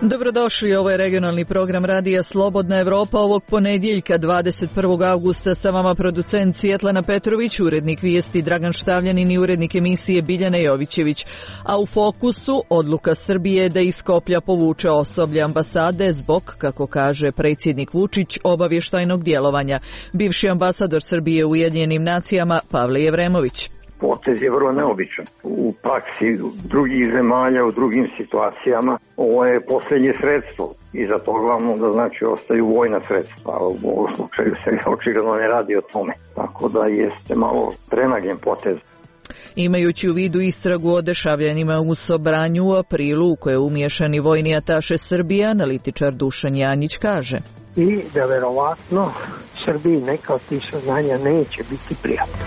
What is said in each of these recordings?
Dobrodošli, ovo je regionalni program Radija Slobodna Evropa ovog ponedjeljka 21. augusta. Sa vama producent Svjetlana Petrović, urednik vijesti Dragan Štavljanin i urednik emisije Biljana Jovićević. A u fokusu odluka Srbije da iz Skoplja povuče osoblje ambasade zbog, kako kaže predsjednik Vučić, obavještajnog djelovanja. Bivši ambasador Srbije u Ujedinjenim nacijama Pavle Jevremović. Potez je vrlo neobičan. U praksi drugih zemalja, u drugim situacijama, ovo je posljednje sredstvo i za to glavno da znači ostaju vojna sredstva, a u ovom slučaju se očigledno ne radi o tome. Tako da jeste malo prenagljen potez. Imajući u vidu istragu o dešavljanjima u Sobranju u aprilu u koje je umiješani vojni ataše Srbije, analitičar Dušan Janjić kaže: I da verovatno Srbiji neka od tih saznanja neće biti prijatna.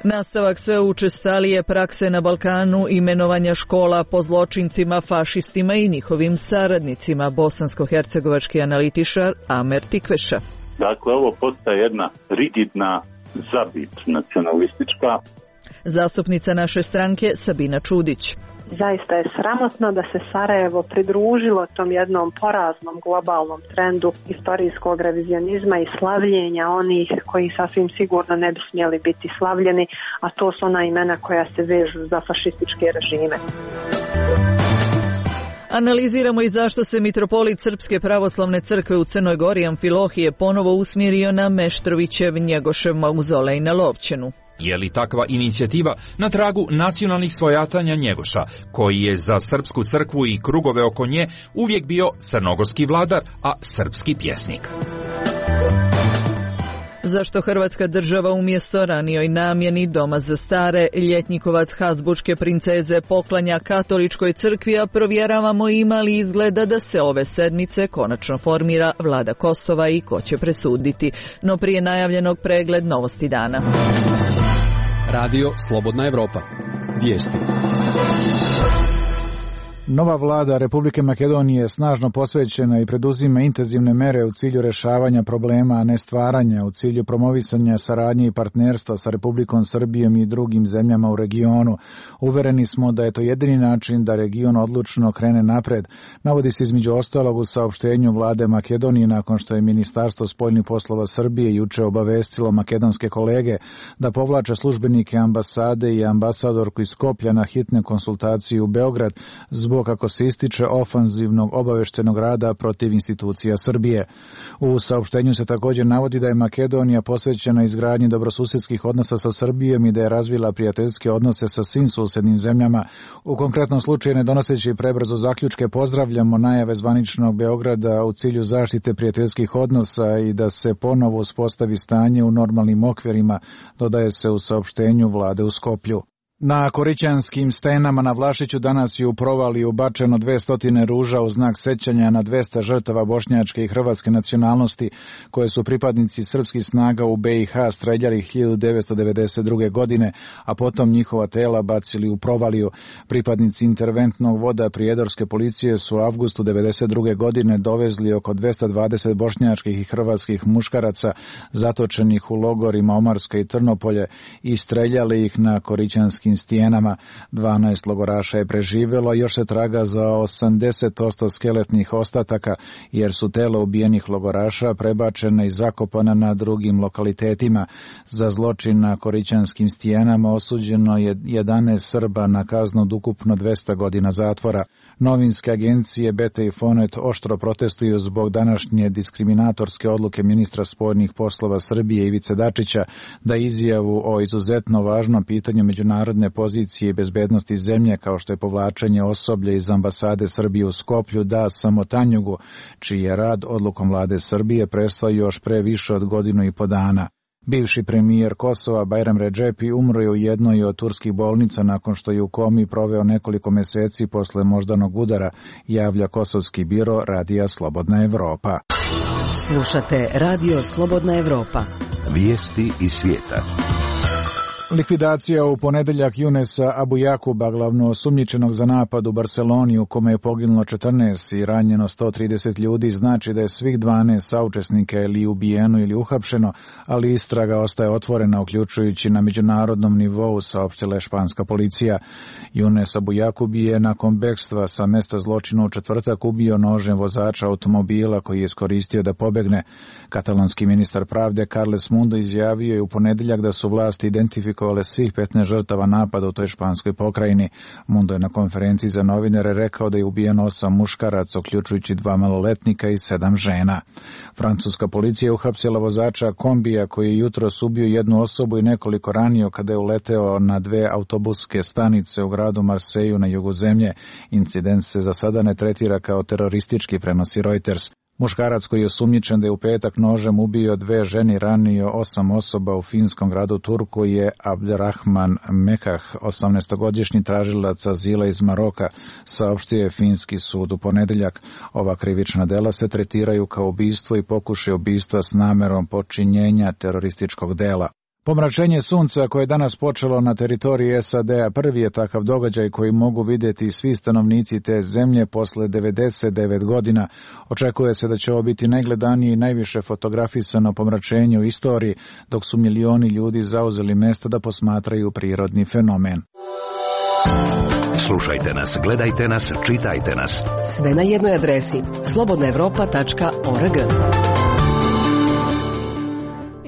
Nastavak sve učestalije prakse na Balkanu, imenovanja škola po zločincima, fašistima i njihovim saradnicima, bosansko-hercegovački analitičar Amer Tikveša. Dakle, ovo postaje jedna rigidna zabit nacionalistička. Zastupnica naše stranke Sabina Čudić. Zaista je sramotno da se Sarajevo pridružilo tom jednom poraznom globalnom trendu istorijskog revizionizma i slavljenja onih koji sasvim sigurno ne bi smjeli biti slavljeni, a to su ona imena koja se vežu za fašističke režime. Analiziramo i zašto se mitropolit Srpske pravoslavne crkve u Crnoj Gori Amfilohije ponovo usmjerio na Meštrovićev Njegošev mauzolej na Lovćenu. Je li takva inicijativa na tragu nacionalnih svojatanja Njegoša, koji je za srpsku crkvu i krugove oko nje uvijek bio crnogorski vladar, a srpski pjesnik? Zašto Hrvatska država umjesto ranijoj namjeni doma za stare ljetnikovac Habsburške princeze poklanja katoličkoj crkvi, a provjeravamo ima li izgleda da se ove sedmice konačno formira vlada Kosova i ko će presuditi. No prije najavljenog pregled novosti dana. Radio Slobodna Evropa. Vijesti. Nova vlada Republike Makedonije je snažno posvećena i preduzima intenzivne mere u cilju rješavanja problema, a ne stvaranja, u cilju promovisanja saradnje i partnerstva sa Republikom Srbijom i drugim zemljama u regionu. Uvereni smo da je to jedini način da region odlučno krene napred, navodi se između ostalog u saopštenju vlade Makedonije nakon što je Ministarstvo spoljnih poslova Srbije juče obavestilo makedonske kolege da povlače službenike ambasade i ambasadorku iz Skoplja na hitne konsultacije u Beograd zbog, kako se ističe, ofanzivnog obaveštenog rada protiv institucija Srbije. U saopštenju se također navodi da je Makedonija posvećena izgradnji dobrosusjedskih odnosa sa Srbijom i da je razvila prijateljske odnose sa svim susjednim zemljama. U konkretnom slučaju, ne donoseći prebrzo zaključke, pozdravljamo najave zvaničnog Beograda u cilju zaštite prijateljskih odnosa i da se ponovo uspostavi stanje u normalnim okvirima, dodaje se u saopštenju vlade u Skoplju. Na Korićanskim stenama na Vlašiću danas je u provaliju bačeno 200 ruža u znak sećanja na 200 žrtava bošnjačke i hrvatske nacionalnosti koje su pripadnici srpskih snaga u BiH streljali 1992. godine, a potom njihova tela bacili u provaliju. Pripadnici interventnog voda prijedorske policije su u avgustu 1992. godine dovezli oko 220 bošnjačkih i hrvatskih muškaraca zatočenih u logorima Omarska i Trnopolje i streljali ih na Korićanskim stijenama. 12 logoraša je preživjelo, još se traga za 80% skeletnih ostataka, jer su tela ubijenih logoraša prebačena i zakopana na drugim lokalitetima. Za zločin na Korićanskim stijenama osuđeno je 11 Srba na kaznu od ukupno 200 godina zatvora. Novinske agencije Beta i Fonet oštro protestuju zbog današnje diskriminatorske odluke ministra spoljnih poslova Srbije Ivice Dačića da izjavu o izuzetno važnom pitanju međunarodne pozicije i bezbednosti zemlje, kao što je povlačenje osoblja iz ambasade Srbije u Skoplju, da samo Tanjugu, čiji je rad odlukom vlade Srbije prestao još pre više od godinu i po dana. Bivši premijer Kosova Bajram Redžepi umro je u jednoj od turskih bolnica nakon što je u komi proveo nekoliko mjeseci posle moždanog udara, javlja kosovski biro Radija Slobodna Evropa. Slušate Radio Slobodna Evropa. Vijesti iz svijeta. Likvidacija u ponedeljak Junesa Abu Jakuba, glavno osumnjičenog za napad u Barceloni u kome je poginulo 14 i ranjeno 130 ljudi, znači da je svih 12 saučesnika ili ubijeno ili uhapšeno, ali istraga ostaje otvorena, uključujući na međunarodnom nivou, saopštila španska policija. Junes Abu Jakub je nakon bekstva sa mesta zločina u četvrtak ubio nožem vozača automobila koji je iskoristio da pobegne. Katalonski ministar pravde Carles Mundo izjavio je u ponedeljak da su vlasti identifikovale svih 15 žrtava napada u toj španskoj pokrajini. Mundo je na konferenciji za novinare rekao da je ubijeno 8 muškaraca, uključujući 2 maloletnika i 7 žena. Francuska policija je uhapsila vozača kombija koji je jutros ubio jednu osobu i nekoliko ranio kada je uleteo na 2 autobuske stanice u gradu Marseju na jugu zemlje. Incident se za sada ne tretira kao teroristički, prenosi Reuters. Muškarac koji je osumnjičen da je u petak nožem ubio 2 žene i ranio 8 osoba u finskom gradu Turku je Abderrahman Mekah, 18-godišnji tražilac azila iz Maroka, saopštio je finski sud u ponedeljak. Ova krivična dela se tretiraju kao ubistvo i pokušaj ubistva s namerom počinjenja terorističkog dela. Pomračenje sunca koje je danas počelo na teritoriji SAD-a prvi je takav događaj koji mogu vidjeti svi stanovnici te zemlje posle 99 godina. Očekuje se da će ovo biti najgledanije i najviše fotografisano pomračenje u istoriji, dok su milioni ljudi zauzeli mesta da posmatraju prirodni fenomen. Slušajte nas, gledajte nas, čitajte nas. Sve na jednoj adresi slobodnaevropa.org.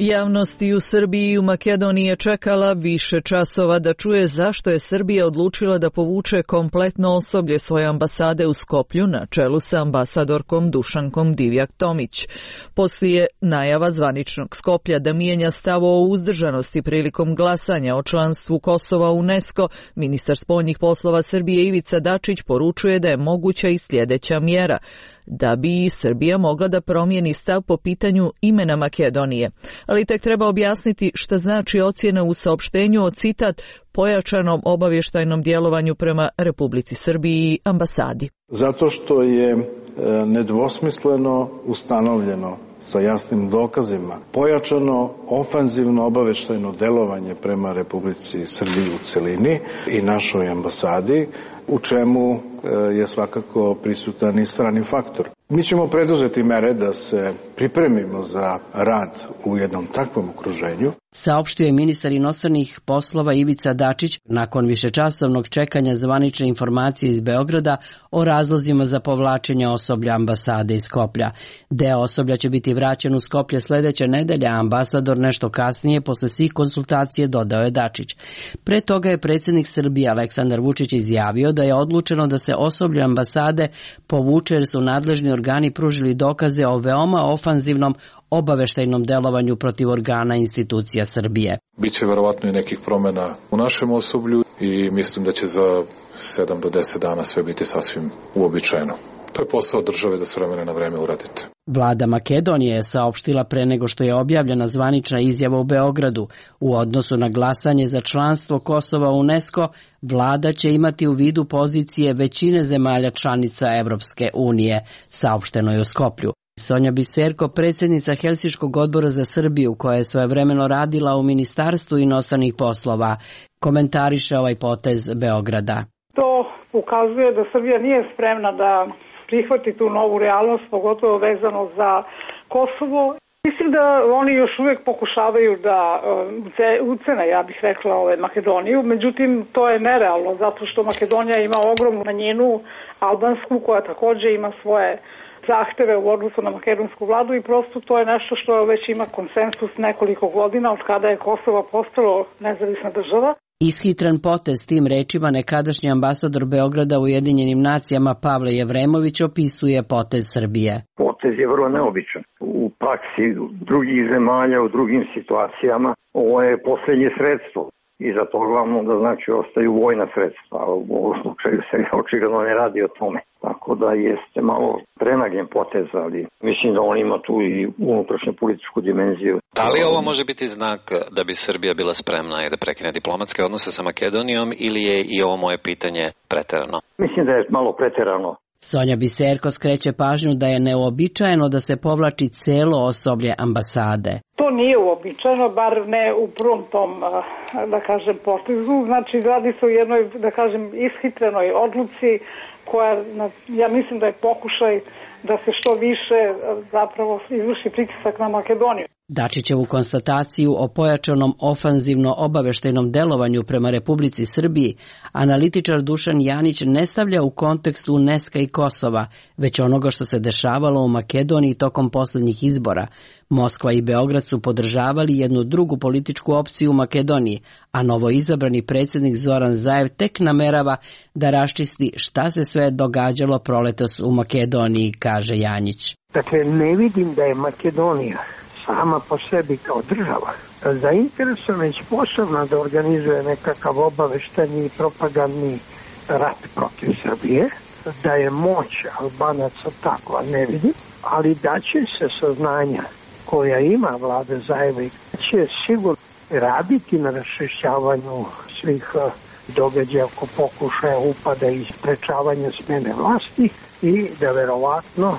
Javnost i u Srbiji i u Makedoniji je čekala više časova da čuje zašto je Srbija odlučila da povuče kompletno osoblje svoje ambasade u Skoplju na čelu sa ambasadorkom Dušankom Divjak-Tomić. Poslije najava zvaničnog Skoplja da mijenja stav o uzdržanosti prilikom glasanja o članstvu Kosova u UNESCO, ministar spoljnih poslova Srbije Ivica Dačić poručuje da je moguća i sljedeća mjera – da bi Srbija mogla da promijeni stav po pitanju imena Makedonije. Ali tek treba objasniti šta znači ocjena u saopštenju o, citat, pojačanom obavještajnom djelovanju prema Republici Srbiji i ambasadi. Zato što je nedvosmisleno ustanovljeno sa jasnim dokazima pojačano ofanzivno obavještajno djelovanje prema Republici Srbiji u celini i našoj ambasadi, u čemu je svakako prisutan i strani faktor. Mi ćemo preduzeti mere da se pripremimo za rad u jednom takvom okruženju. Saopštio je ministar inostranih poslova Ivica Dačić nakon višečasovnog čekanja zvanične informacije iz Beograda o razlozima za povlačenje osoblja ambasade iz Skoplja. Deo osoblja će biti vraćen u Skoplje sljedeće nedelje, a ambasador nešto kasnije posle svih konsultacije, dodao je Dačić. Pre toga je predsjednik Srbije Aleksandar Vučić izjavio da je odlučeno da se osoblje ambasade povuče jer su nadležni organi pružili dokaze o veoma ofanzivnom obaveštajnom delovanju protiv organa institucija Srbije. Biće verovatno i nekih promjena u našem osoblju i mislim da će za 7 do 10 dana sve biti sasvim uobičajeno. To je posao države da s vremena na vreme uradite. Vlada Makedonije je saopštila pre nego što je objavljena zvanična izjava u Beogradu. U odnosu na glasanje za članstvo Kosova u UNESCO, vlada će imati u vidu pozicije većine zemalja članica Evropske unije, saopšteno je u Skoplju. Sonja Biserko, predsjednica Helsinškog odbora za Srbiju, koja je svojevremeno radila u Ministarstvu inostranih poslova, komentariše ovaj potez Beograda. To ukazuje da Srbija nije spremna da prihvati tu novu realnost, pogotovo vezano za Kosovo. Mislim da oni još uvijek pokušavaju da ucene, ja bih rekla, Makedoniju, međutim to je nerealno zato što Makedonija ima ogromnu manjinu albansku koja također ima svoje zahteve u odnosu na makedonsku vladu i prosto to je nešto što već ima konsensus nekoliko godina od kada je Kosovo postalo nezavisna država. Ishitran potez, tim rečima nekadašnji ambasador Beograda u Ujedinjenim nacijama Pavle Jevremović opisuje potez Srbije. Potez je vrlo neobičan. U praksi drugih zemalja, u drugim situacijama, ovo je posljednje sredstvo. I za to glavno da znači ostaju vojna sredstva, a u ovom slučaju se očigledno ne radi o tome. Tako da jeste malo prenagljen potez, ali mislim da on ima tu i unutrašnju političku dimenziju. Da li ovo može biti znak da bi Srbija bila spremna i da prekine diplomatske odnose sa Makedonijom ili je i ovo moje pitanje preterano? Mislim da je malo preterano. Sonja Biserko skreće pažnju da je neuobičajeno da se povlači celo osoblje ambasade. To nije uobičajeno, bar ne u prvom tom, da kažem, potezu. Znači, radi se o jednoj, da kažem, ishitrenoj odluci koja, ja mislim da je pokušaj da se što više zapravo izvrši pritisak na Makedoniju. Dačićevu konstataciju o pojačanom ofanzivno-obaveštajnom delovanju prema Republici Srbiji analitičar Dušan Janić ne stavlja u kontekst UNESCO i Kosova, već onoga što se dešavalo u Makedoniji tokom poslednjih izbora. Moskva i Beograd su podržavali jednu drugu političku opciju u Makedoniji, a novoizabrani predsjednik Zoran Zaev tek namerava da raščisti šta se sve događalo proletos u Makedoniji, kaže Janjić. Dakle, ne vidim da je Makedonija sama po sebi kao država zainteresovana i sposobna da organizuje nekakav obavešteni i propagandni rat protiv Srbije, da je moć Albanaca takva, ne vidim, ali da će se saznanja koja ima vlada Zaeva će sigurno raditi na raščišćavanju svih događaja oko pokušaja upada i sprečavanja smene vlasti i da verovatno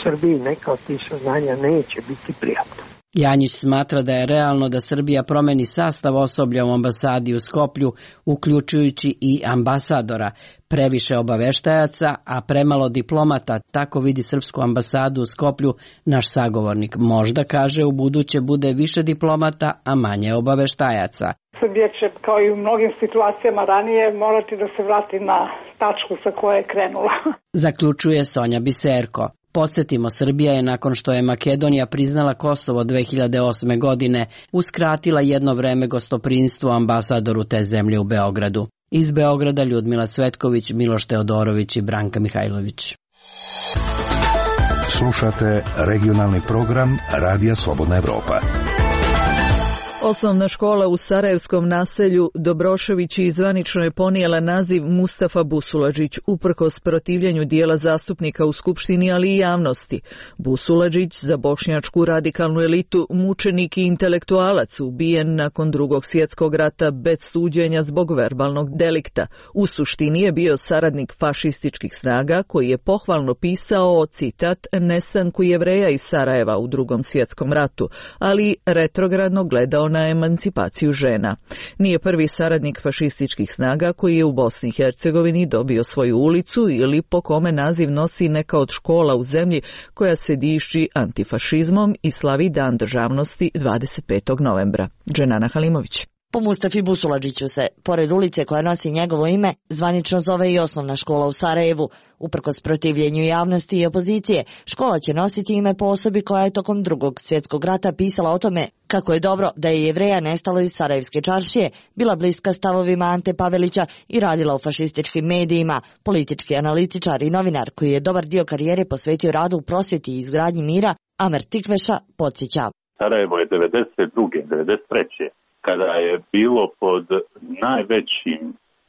Srbiji neka od tih saznanja neće biti prijatno. Janjić smatra da je realno da Srbija promeni sastav osoblja u ambasadi u Skoplju, uključujući i ambasadora. Previše obaveštajaca, a premalo diplomata, tako vidi srpsku ambasadu u Skoplju naš sagovornik. Možda, kaže, u buduće bude više diplomata, a manje obaveštajaca. Srbija će, kao i u mnogim situacijama ranije, morati da se vrati na tačku sa koje je krenula. Zaključuje Sonja Biserko. Podsjetimo, Srbija je nakon što je Makedonija priznala Kosovo 2008. godine uskratila jedno vreme gostoprinstvo ambasadoru te zemlje u Beogradu. Iz Beograda Ljudmila Cvetković, Miloš Teodorović i Branka Mihajlović. Slušate regionalni program Radija Slobodna Evropa. Osnovna škola u sarajevskom naselju Dobroševići zvanično je ponijela naziv Mustafa Busuladžić, uprkos protivljenju dijela zastupnika u Skupštini, ali i javnosti. Busuladžić, za bošnjačku radikalnu elitu, mučenik i intelektualac, ubijen nakon Drugog svjetskog rata bez suđenja zbog verbalnog delikta. U suštini je bio saradnik fašističkih snaga koji je pohvalno pisao o, citat, nestanku Jevreja iz Sarajeva u Drugom svjetskom ratu, ali retrogradno gledao na emancipaciju žena. Nije prvi saradnik fašističkih snaga koji je u Bosni i Hercegovini dobio svoju ulicu ili po kome naziv nosi neka od škola u zemlji koja se diši antifašizmom i slavi Dan državnosti 25. novembra. Dženana Halimović. Po Mustafi Busuladžiću se, pored ulice koja nosi njegovo ime, zvanično zove i osnovna škola u Sarajevu. Uprkos protivljenju javnosti i opozicije, škola će nositi ime po osobi koja je tokom Drugog svjetskog rata pisala o tome kako je dobro da je Jevreja nestalo iz Sarajevske čaršije, bila bliska stavovima Ante Pavelića i radila u fašističkim medijima, politički analitičar i novinar koji je dobar dio karijere posvetio radu u prosvjeti i izgradnji mira, Amer Tikveša podsjeća. Sarajevo je 92. 93. kada je bilo pod najvećim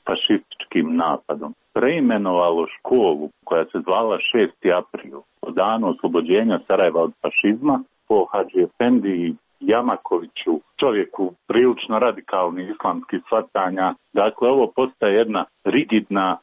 fašističkim napadom, preimenovalo školu koja se zvala 6. april, po danu oslobođenja Sarajeva od fašizma, po Hadži Efendi Jamakoviću, čovjeku prilično radikalnih islamskih shvatanja. Dakle, ovo postaje jedna rigidna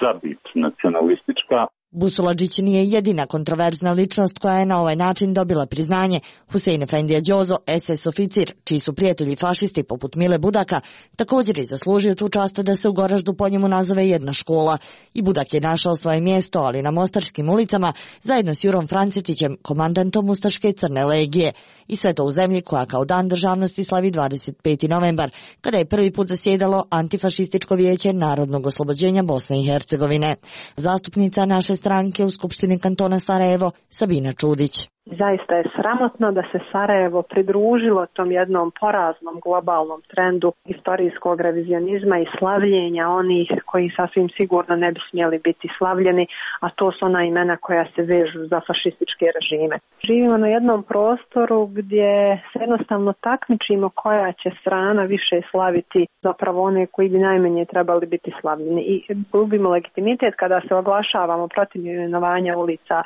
zabit nacionalistička. Busuladžić nije jedina kontroverzna ličnost koja je na ovaj način dobila priznanje. Husein Efendija Đozo, SS oficir, čiji su prijatelji fašisti poput Mile Budaka, također je zaslužio tu čast da se u Goraždu po njemu nazove jedna škola. I Budak je našao svoje mjesto, ali na mostarskim ulicama, zajedno s Jurom Francetićem, komandantom Ustaške crne legije. I sve to u zemlji koja kao Dan državnosti slavi 25. novembar, kada je prvi put zasjedalo Antifašističko vijeće narodnog oslobođenja Bosne i Hercegovine. Zastupnica naše stranke u Skupštini kantona Sarajevo, Sabina Čudić. Zaista je sramotno da se Sarajevo pridružilo tom jednom poraznom globalnom trendu istorijskog revizionizma i slavljenja onih koji sasvim sigurno ne bi smjeli biti slavljeni, a to su ona imena koja se vežu za fašističke režime. Živimo na jednom prostoru gdje se jednostavno takmičimo koja će strana više slaviti zapravo one koji bi najmanje trebali biti slavljeni i gubimo legitimitet kada se oglašavamo protiv imenovanja ulica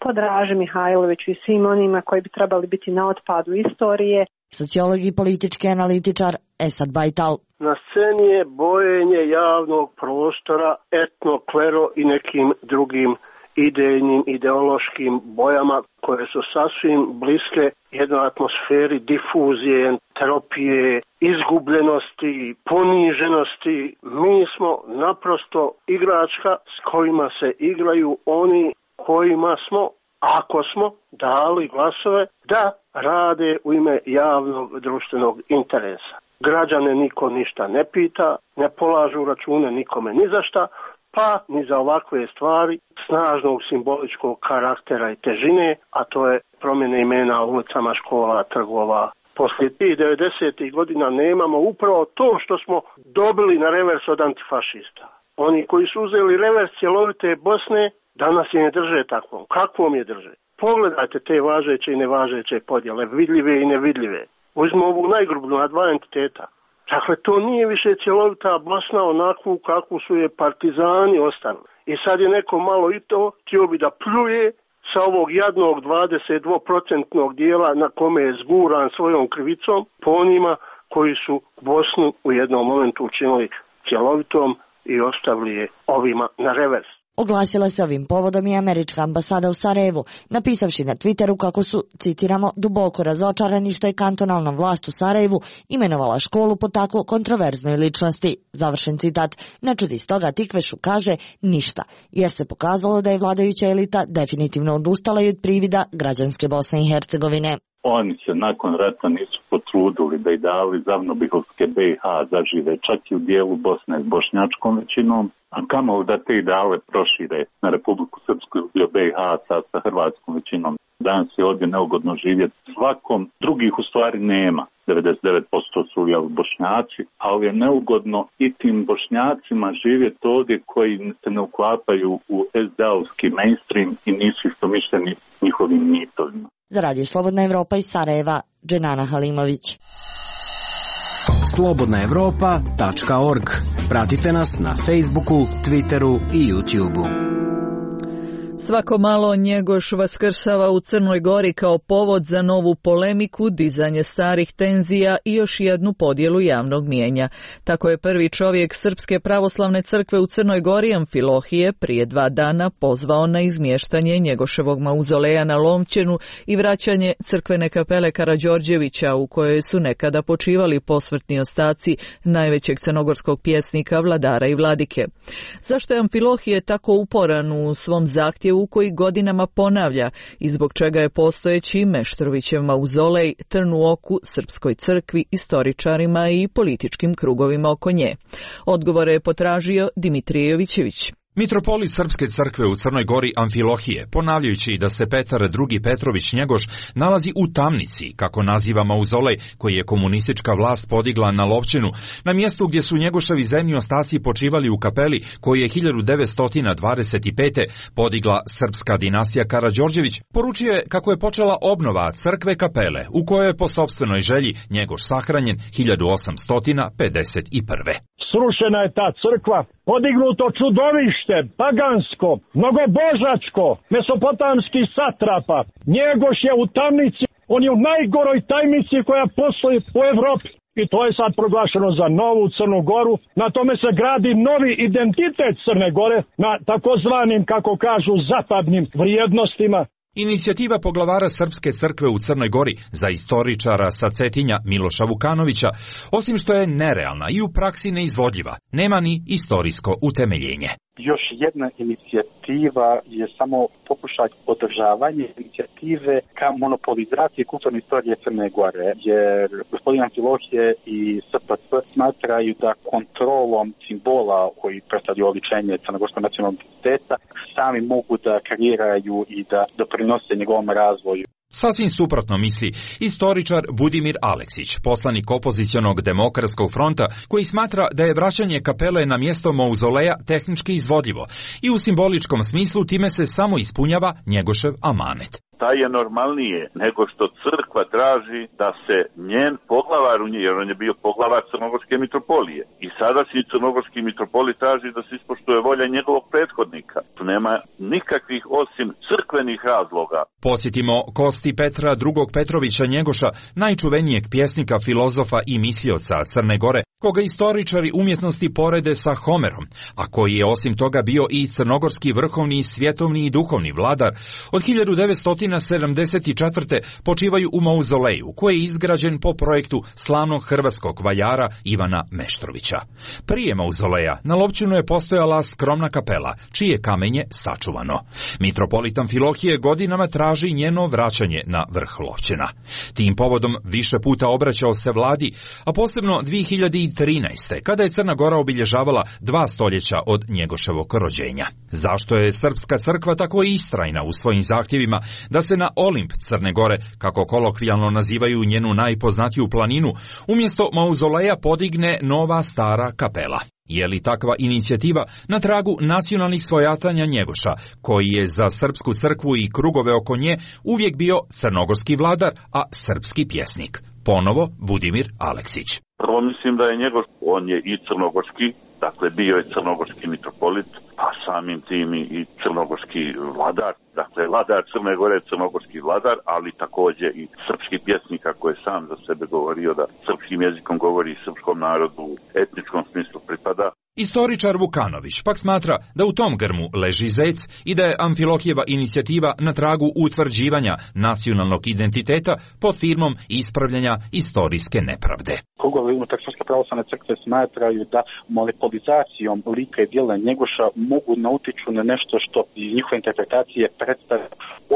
po Draži Mihajloviću i svim onima koji bi trebali biti na otpadu istorije. Sociolog i politički analitičar Esad Bajtal. Na sceni je bojenje javnog prostora etno, klero i nekim drugim idejnim, ideološkim bojama koje su sasvim bliske jednoj atmosferi difuzije, entropije, izgubljenosti, poniženosti. Mi smo naprosto igračka s kojima se igraju oni kojima smo, ako smo dali glasove, da rade u ime javnog društvenog interesa. Građane niko ništa ne pita, ne polažu račune nikome ni za šta, pa ni za ovakve stvari snažnog simboličkog karaktera i težine, a to je promjene imena ulicama, škola, trgova. Poslije tih 90. godina nemamo upravo to što smo dobili na revers od antifašista. Oni koji su uzeli revers cjelovite Bosne, danas je ne drže takvom. Kakvom je drže? Pogledajte te važeće i nevažeće podjele, vidljive i nevidljive. Uzmimo ovu najgrublju na dva entiteta. Dakle, to nije više cjelovita Bosna onakvu kakvu su je partizani ostavili. I sad je neko malo i to htio bi da pljuje sa ovog jadnog 22% dijela na kome je zguran svojom krivicom po onima koji su Bosnu u jednom momentu učinili cjelovitom i ostavili je ovima na revers. Oglasila se ovim povodom i američka ambasada u Sarajevu, napisavši na Twitteru kako su, citiramo, duboko razočarani što je kantonalna vlast u Sarajevu imenovala školu po tako kontroverznoj ličnosti. Završen citat. Ne čudi stoga Tikvešu kaže ništa, jer se pokazalo da je vladajuća elita definitivno odustala i od privida građanske Bosne i Hercegovine. Oni se nakon rata nisu potrudili da i dali zavnobihovske BiH zažive čak i u dijelu Bosne s bošnjačkom većinom, a kamoli da te ideale prošire na Republiku Srpsku ili BiH sa hrvatskom većinom. Danas je ovdje neugodno živjeti svakom, drugih u stvari nema. 99% su Bošnjaci, ali je neugodno i tim Bošnjacima živjeti ovdje koji se ne uklapaju u SD-ovski mainstream i nisu istomišljeni njihovim mitovima. Za Radio Slobodna Evropa iz Sarajeva, Dženana Halimović. slobodnaevropa.org. Pratite nas na Facebooku, Twitteru i YouTubeu. Svako malo Njegoš vaskrsava u Crnoj Gori kao povod za novu polemiku, dizanje starih tenzija i još jednu podjelu javnog mijenja. Tako je prvi čovjek Srpske pravoslavne crkve u Crnoj Gori, Amfilohije, prije 2 dana pozvao na izmještanje Njegoševog mauzoleja na Lomćenu i vraćanje crkvene kapele Karađorđevića u kojoj su nekada počivali posmrtni ostaci najvećeg crnogorskog pjesnika, vladara i vladike. Zašto je Amfilohije tako uporan u svom zahtjevu u koji godinama ponavlja i zbog čega je postojeći Meštrovićev mauzolej trn u oku Srpskoj crkvi, istoričarima i političkim krugovima oko nje? Odgovore je potražio Dimitrije Jovićević. Mitropolit Srpske crkve u Crnoj Gori Amfilohije, ponavljajući da se Petar II. Petrović Njegoš nalazi u tamnici, kako naziva mauzolej koji je komunistička vlast podigla na Lovćenu, na mjestu gdje su Njegoševi zemlji ostaci počivali u kapeli koju je 1925. podigla srpska dinastija Karađorđević, poručio je kako je počela obnova crkve kapele, u kojoj je po sopstvenoj želji Njegoš sahranjen 1851. Srušena je ta crkva, podignuto čudovište, pagansko, mnogobožačko, mesopotamski satrapa. Njegoš je u tamnici, on je u najgoroj tajnici koja postoji u Evropi. I to je sad proglašeno za novu Crnu Goru. Na tome se gradi novi identitet Crne Gore na takozvanim, kako kažu, zapadnim vrijednostima. Inicijativa poglavara Srpske crkve u Crnoj Gori za istoričara sa Cetinja Miloša Vukanovića, osim što je nerealna i u praksi neizvodljiva, nema ni istorijsko utemeljenje. Još jedna inicijativa je samo pokušaj održavanja inicijative ka monopolizaciji kulturne istorije Crne Gore, jer gospodin Amfilohije i SPC smatraju da kontrolom simbola koji predstavljaju oličenje crnogorskog nacionalnog identiteta sami mogu da kreiraju i da doprinose njegovom razvoju. Sasvim suprotno misli istoričar Budimir Aleksić, poslanik opozicionog Demokratskog fronta, koji smatra da je vraćanje kapele na mjesto mauzoleja tehnički izvodljivo i u simboličkom smislu time se samo ispunjava Njegošev amanet. Da je normalnije nego što crkva traži da se njen poglavar u njej, jer on je bio poglavar Crnogorske mitropolije. I sada si Crnogorski mitropolit traži da se ispoštuje volja njegovog prethodnika. Tu nema nikakvih osim crkvenih razloga. Podsjetimo kosti Petra II. Petrovića Njegoša, najčuvenijeg pjesnika, filozofa i mislioca Crne Gore, koga istoričari umjetnosti porede sa Homerom, a koji je osim toga bio i crnogorski vrhovni, svjetovni i duhovni vladar, od 1974. počivaju u mauzoleju, koji je izgrađen po projektu slavnog hrvatskog valjara Ivana Meštrovića. Prije mauzoleja na Lovćenu je postojala skromna kapela, čije kamenje sačuvano. Mitropolit Amfilohije godinama traži njeno vraćanje na vrh Lovćena. Tim povodom više puta obraćao se vladi, a posebno 2013. kada je Crna Gora obilježavala 2 stoljeća od Njegoševog rođenja. Zašto je Srpska crkva tako istrajna u svojim zahtjevima da se na Olimp Crne Gore, kako kolokvijalno nazivaju njenu najpoznatiju planinu, umjesto mauzoleja podigne nova stara kapela? Je li takva inicijativa na tragu nacionalnih svojatanja Njegoša, koji je za Srpsku crkvu i krugove oko nje uvijek bio crnogorski vladar, a srpski pjesnik? Ponovo Budimir Aleksić. Prvo mislim da je Njegoš, on je i crnogorski, dakle bio je crnogorski mitropolit, a samim tim i crnogorski vladar. Dakle, vladar Crne Gore je crnogorski vladar, ali također i srpski pjesnik, ako je sam za sebe govorio da srpskim jezikom govori srpskom narodu u etničkom smislu pripada. Istoričar Vukanović pak smatra da u tom grmu leži zec i da je Amfilohijeva inicijativa na tragu utvrđivanja nacionalnog identiteta pod firmom ispravljanja istorijske nepravde. Krugovi unutar Srpske pravoslavne crkve smatraju da monopolizacijom lika i djela Njegoša mogu nautiču na nešto što iz njihove interpretacije predstavlja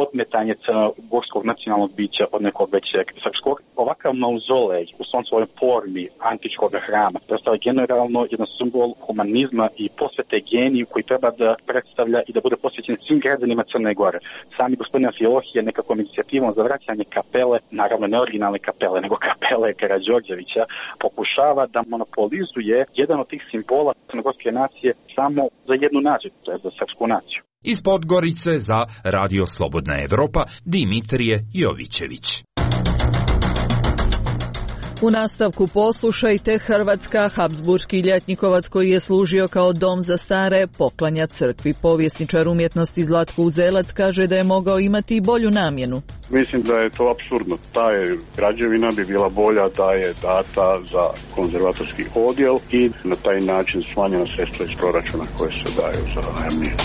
odmetanje crnogorskog nacionalnog bića od nekog većeg srpskog. Ovakav mauzolej u svom svojoj formi antičkog hrama predstavlja generalno jedan simbol humanizma i posvete geniju koji treba da predstavlja i da bude posvećen svim građanima Crne Gore. Sami gospodin Amfilohije nekakvom inicijativom za vraćanje kapele, naravno ne originalne kapele, nego kapele Karađorđevića, pokušava da monopolizuje jedan od tih simbola crnogorske nacije samo za jednu naciju, to je za srpsku naciju. Iz Podgorice za Radio Slobodna Evropa, Dimitrije Jovićević. U nastavku poslušajte, Hrvatska, Habsburški ljetnikovac koji je služio kao dom za stare, poklanja crkvi. Povjesničar umjetnosti Zlatko Uzelac kaže da je mogao imati i bolju namjenu. Mislim da je to apsurdno. Ta je građevina bi bila bolja da je data za konzervatorski odjel i na taj način smanjena sredstva iz proračuna koje se daju za najamninu.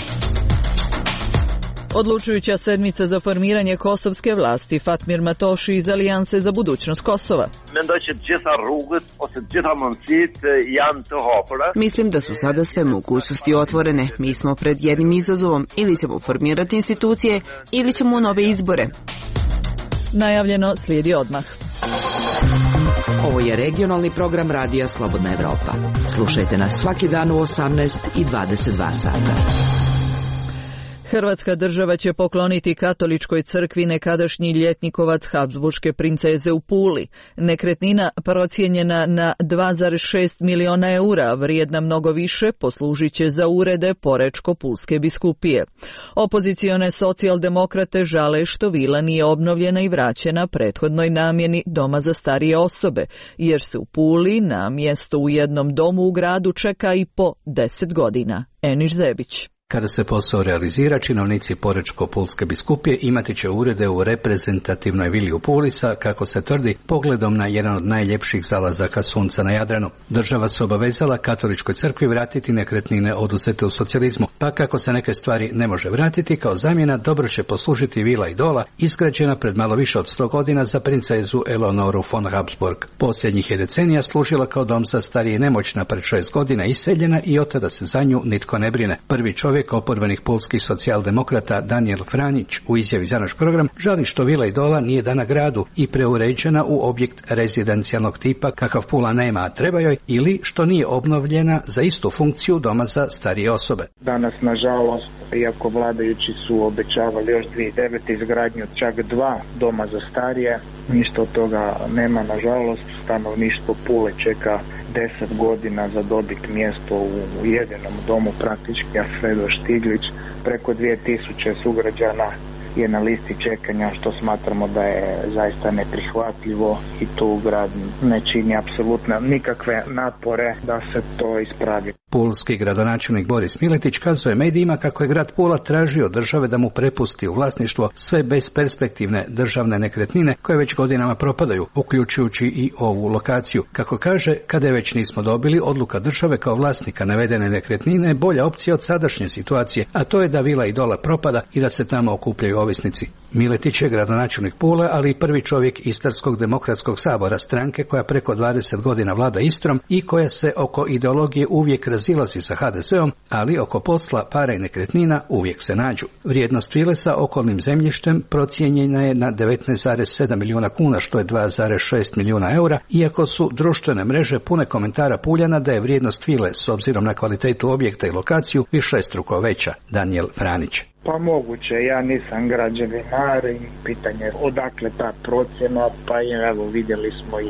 Odlučujuća sedmica za formiranje kosovske vlasti. Fatmir Matoši iz Alijanse za budućnost Kosova. Mislim da su sada sve mogućnosti otvorene. Mi smo pred jednim izazovom. Ili ćemo formirati institucije, ili ćemo nove izbore. Najavljeno slijedi odmah. Ovo je regionalni program Radija Slobodna Evropa. Slušajte nas svaki dan u 18 i 22 sata. Hrvatska država će pokloniti katoličkoj crkvi nekadašnji ljetnikovac Habsburške princeze u Puli. Nekretnina procijenjena na 2,6 miliona eura, vrijedna mnogo više, poslužit će za urede Porečko-Pulske biskupije. Opozicione socijaldemokrate žale što vila nije obnovljena i vraćena prethodnoj namjeni doma za starije osobe, jer se u Puli na mjesto u jednom domu u gradu čeka i po 10 godina. Eniš Zebić. Kada se posao realizira, činovnici Porečko-Pulske biskupije imati će urede u reprezentativnoj vili u Puli sa, kako se tvrdi, pogledom na jedan od najljepših zalazaka sunca na Jadranu. Država se obavezala katoličkoj crkvi vratiti nekretnine oduzete u socijalizmu, pa kako se neke stvari ne može vratiti, kao zamjena dobro će poslužiti vila Idola, izgrađena pred malo više od 100 godina za princezu Eleonoru von Habsburg. Posljednjih je decenija služila kao dom za starije i nemoćna, pred 6 godina iseljena i od tada se za nju nitko ne brine. Prvi čovjek oporbenih pulskih socijaldemokrata Daniel Franić u izjavi za naš program žali što vila Idola nije dana gradu i preuređena u objekt rezidencijalnog tipa kakav Pula nema, a treba joj, ili što nije obnovljena za istu funkciju doma za starije osobe. Danas, nažalost, iako vladajući su obećavali još 2009. izgradnju čak 2 doma za starije, ništa od toga nema, nažalost. Stanovništvo Pule čeka 10 godina za dobiti mjesto u jedinom domu, praktički Alfredo Štiglić. Preko 2000 sugrađana je na listi čekanja, što smatramo da je zaista neprihvatljivo i tu grad ne čini apsolutno nikakve napore da se to ispravi. Pulski gradonačelnik Boris Miletić kazuje medijima kako je grad Pula tražio od države da mu prepusti u vlasništvo sve besperspektivne državne nekretnine koje već godinama propadaju, uključujući i ovu lokaciju. Kako kaže, kada je već nismo dobili, odluka države kao vlasnika navedene nekretnine je bolja opcija od sadašnje situacije, a to je da Vila Idola propada i da se tamo okupljaju ovisnici. Miletić je gradonačelnik Pule, ali i prvi čovjek Istarskog demokratskog sabora, stranke koja preko 20 godina vlada Istrom i koja se oko ideologije uvijek razilazi sa HDZ-om, ali oko posla, para i nekretnina uvijek se nađu. Vrijednost vile sa okolnim zemljištem procijenjena je na 19,7 milijuna kuna, što je 2,6 milijuna eura, iako su društvene mreže pune komentara Puljana da je vrijednost vile s obzirom na kvalitetu objekta i lokaciju višestruko veća. Daniel Franić. Pa moguće, ja nisam građevinar i pitanje odakle ta procjena, pa evo vidjeli smo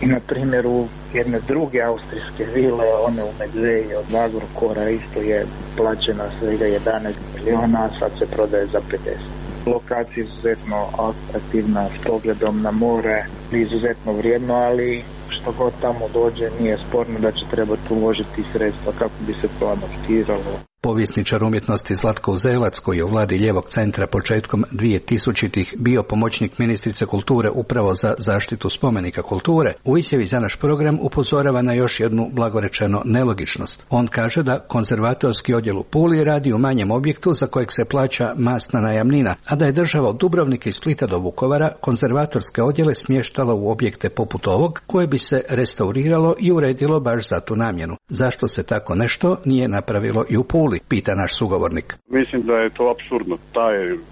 i na primjeru jedne druge austrijske vile, one u Medveji od Agrokora isto je plaćena svega 11 miliona, a sad se prodaje za 50. Lokacija je izuzetno atraktivna s pogledom na more, izuzetno vrijedno, ali što god tamo dođe nije sporno da će trebati uložiti sredstva kako bi se to adaptiralo. Povjesničar umjetnosti Zlatko Uzelac, koji je u vladi Lijevog centra početkom 2000-ih bio pomoćnik ministrice kulture upravo za zaštitu spomenika kulture, u izjavi za naš program upozorava na još jednu blagorečeno nelogičnost. On kaže da konzervatorski odjel u Puli radi u manjem objektu za kojeg se plaća masna najamnina, a da je država od Dubrovnika i Splita do Vukovara konzervatorske odjele smještala u objekte poput ovog, koje bi se restauriralo i uredilo baš za tu namjenu. Zašto se tako nešto nije napravilo i u Puli? Pita naš sugovornik. Mislim da je to apsurdno. Ta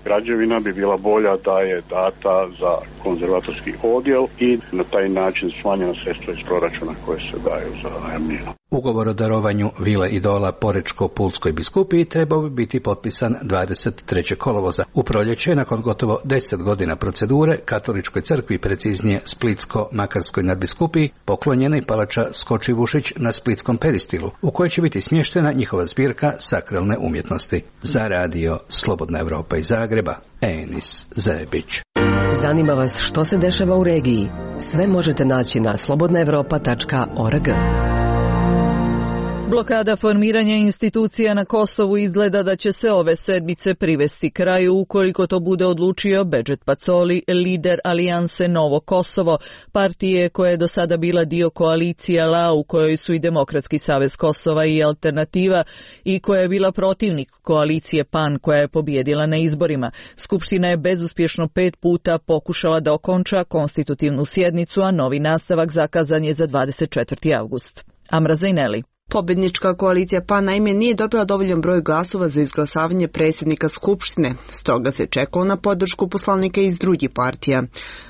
građevina bi bila bolja da je data za konzervatorski odjel i na taj način smanjena sredstva iz proračuna koje se daju za najamninu. Ugovor o darovanju Vile Idola Porečko-Pulskoj biskupiji trebao bi biti potpisan 23. kolovoza. U proljeće, nakon gotovo 10 godina procedure, Katoličkoj crkvi, preciznije Splitsko-Makarskoj nadbiskupiji, poklonjena i palača Skočivušić na Splitskom peristilu, u kojoj će biti smještena njihova zbirka sakralne umjetnosti. Za radio Slobodna Evropa iz Zagreba, Enis Zebić. Zanima vas što se dešava u regiji? Sve možete naći na slobodnaevropa.org. Blokada formiranja institucija na Kosovu izgleda da će se ove sedmice privesti kraju ukoliko to bude odlučio Bedžet Pacoli, lider alijanse Novo Kosovo, partije koja je do sada bila dio koalicije LA u kojoj su i Demokratski savez Kosova i Alternativa i koja je bila protivnik koalicije PAN koja je pobjedila na izborima. Skupština je bezuspješno 5 puta pokušala da okonča konstitutivnu sjednicu, a novi nastavak zakazan je za 24. avgust. Amra Zajneli. Pobjednička koalicija PAN naime nije dobila dovoljan broj glasova za izglasavanje predsjednika Skupštine, stoga se čekalo na podršku poslanika iz drugih partija.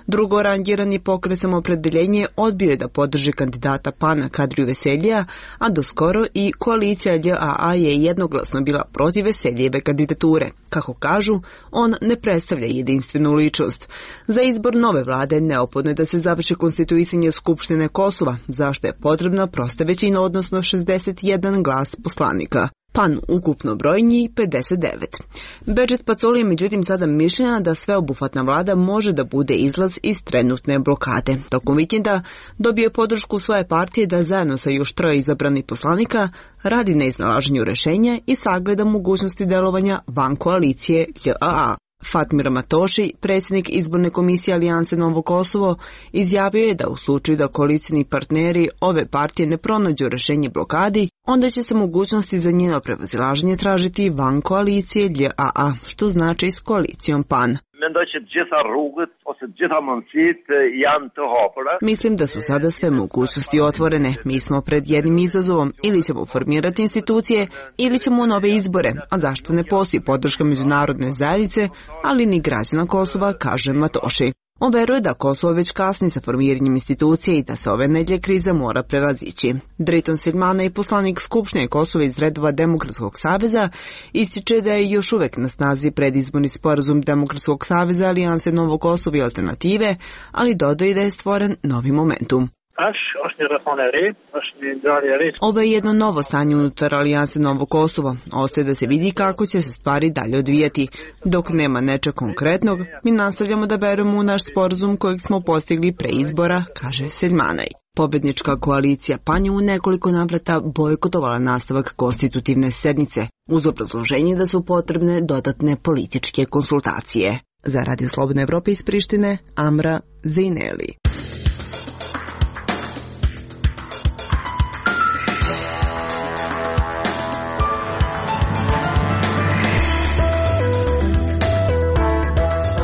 Drugo rangirani pokret Samoopredjeljenje odbio je da podrži kandidata PAN Kadriju Veseljija, a doskoro i koalicija LJA je jednoglasno bila protiv Veselijeve kandidature. Kako kažu, on ne predstavlja jedinstvenu ličnost. Za izbor nove vlade neophodno je da se završi konstituisanje Skupštine Kosova, zašto je potrebna prosta većina, odnosno 61 glas poslanika. PAN ukupno broji njih 59. Bedžet Pacoli je međutim sada mišljenja da sveobuhvatna vlada može da bude izlaz iz trenutne blokade. Tokom vikenda dobio je podršku svoje partije da zajedno sa još 3 izabranih poslanika radi na iznalaženju rješenja i sagleda mogućnosti delovanja van koalicije LJA. Fatmir Matoši, predsjednik izborne komisije Alijanse Novo Kosovo, izjavio je da u slučaju da koalicijni partneri ove partije ne pronađu rješenje blokadi, onda će se mogućnosti za njeno prevazilaženje tražiti van koalicije LJA, što znači s koalicijom PAN. Mislim da su sada sve mogućnosti otvorene. Mi smo pred jednim izazovom, ili ćemo formirati institucije, ili ćemo nove izbore, a zašto ne postoji podrška međunarodne zajednice, ali ni građana Kosova, kaže Matoši. On veruje da Kosovo već kasni sa formiranjem institucije i da se ove nedjelje kriza mora prevazići. Driton Silmana i poslanik Skupštine Kosova iz redova Demokratskog saveza ističe da je još uvijek na snazi predizborni sporazum Demokratskog saveza, Alijanse Novo Kosovo i Alternative, ali dodaje da je stvoren novi momentum. Ovo je jedno novo stanje unutar Alijanse Novo Kosovo. Ostaje da se vidi kako će se stvari dalje odvijati. Dok nema nečeg konkretnog, mi nastavljamo da verujemo u naš sporazum kojeg smo postigli pre izbora, kaže Seljmanaj. Pobednička koalicija PAN je u nekoliko navrata bojkotovala nastavak konstitutivne sednice, uz obrazloženje da su potrebne dodatne političke konsultacije. Za Radio Slobodna Evropa iz Prištine, Amra Zejneli.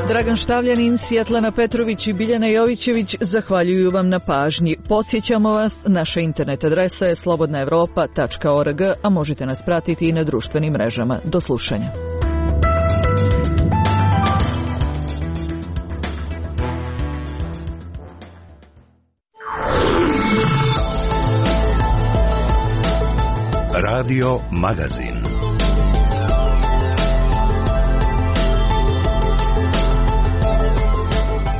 Dragan Štavljanin, Svjetlana Petrović i Biljana Jovićević zahvaljuju vam na pažnji. Podsjećamo vas, naša internet adresa je slobodnaevropa.org, a možete nas pratiti i na društvenim mrežama. Do slušanja. Radio Magazin.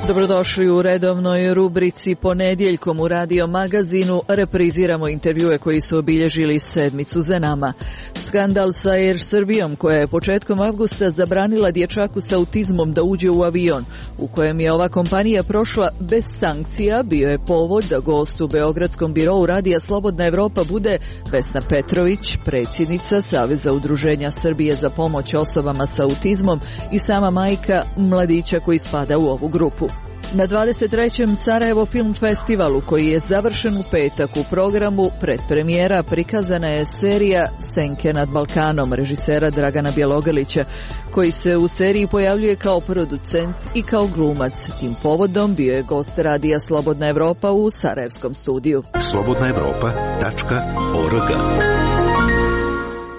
Dobrodošli u redovnoj rubrici Ponedjeljkom u Radio Magazinu. Repriziramo intervjue koji su obilježili sedmicu za nama. Skandal sa Air Srbijom, koja je početkom avgusta zabranila dječaku sa autizmom da uđe u avion, u kojem je ova kompanija prošla bez sankcija, bio je povod da gost u Beogradskom birou Radija Slobodna Evropa bude Vesna Petrović, predsjednica Saveza udruženja Srbije za pomoć osobama sa autizmom i sama majka mladića koji spada u ovu grupu. Na 23. Sarajevo Film Festivalu, koji je završen u petak, u programu predpremijera prikazana je serija Senke nad Balkanom režisera Dragana Bjelogrlića, koji se u seriji pojavljuje kao producent i kao glumac. Tim povodom bio je gost Radija Slobodna Evropa u sarajevskom studiju. slobodnaevropa.org.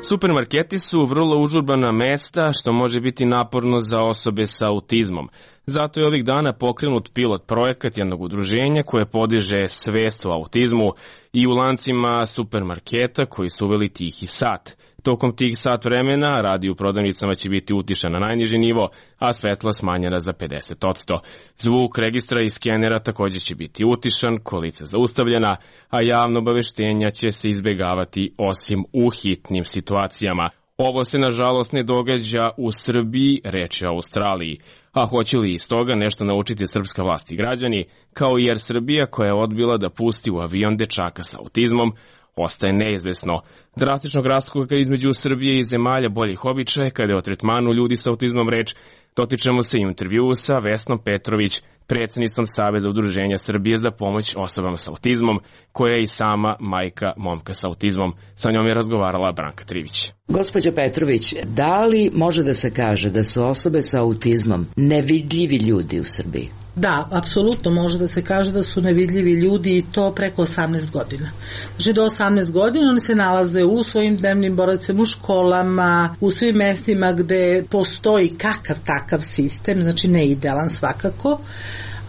Supermarketi su vrlo užurbana mesta, što može biti naporno za osobe sa autizmom. Zato je ovih dana pokrenut pilot projekat jednog udruženja koje podiže svest o autizmu i u lancima supermarketa koji su uveli tihi sat. Tokom tih sat vremena radi u prodavnicama će biti utišan na najniži nivo, a svetla smanjena za 50%. Zvuk registra i skenera također će biti utišan, kolica zaustavljena, a javno obaveštenja će se izbjegavati osim u hitnim situacijama. Ovo se nažalost ne događa u Srbiji, reč je o Australiji. A hoće li iz toga nešto naučiti srpska vlast i građani, kao i Air Srbija koja je odbila da pusti u avion dečaka sa autizmom, ostaje neizvesno. Drastičnog raskoka između Srbije i zemalja boljih običaja, kada je o tretmanu ljudi sa autizmom reč, dotičemo se i u intervjuu sa Vesnom Petrović, predsjednicom Saveza udruženja Srbije za pomoć osobama sa autizmom, koja je i sama majka momka sa autizmom. Sa njom je razgovarala Branka Trivić. Gospođo Petrović, da li može da se kaže da su osobe sa autizmom nevidljivi ljudi u Srbiji? Da, apsolutno može da se kaže da su nevidljivi ljudi i to preko 18 godina. Znači do 18 godina oni se nalaze u svojim dnevnim boravcima, u školama, u svim mestima gde postoji kakav takav sistem, znači ne idealan svakako,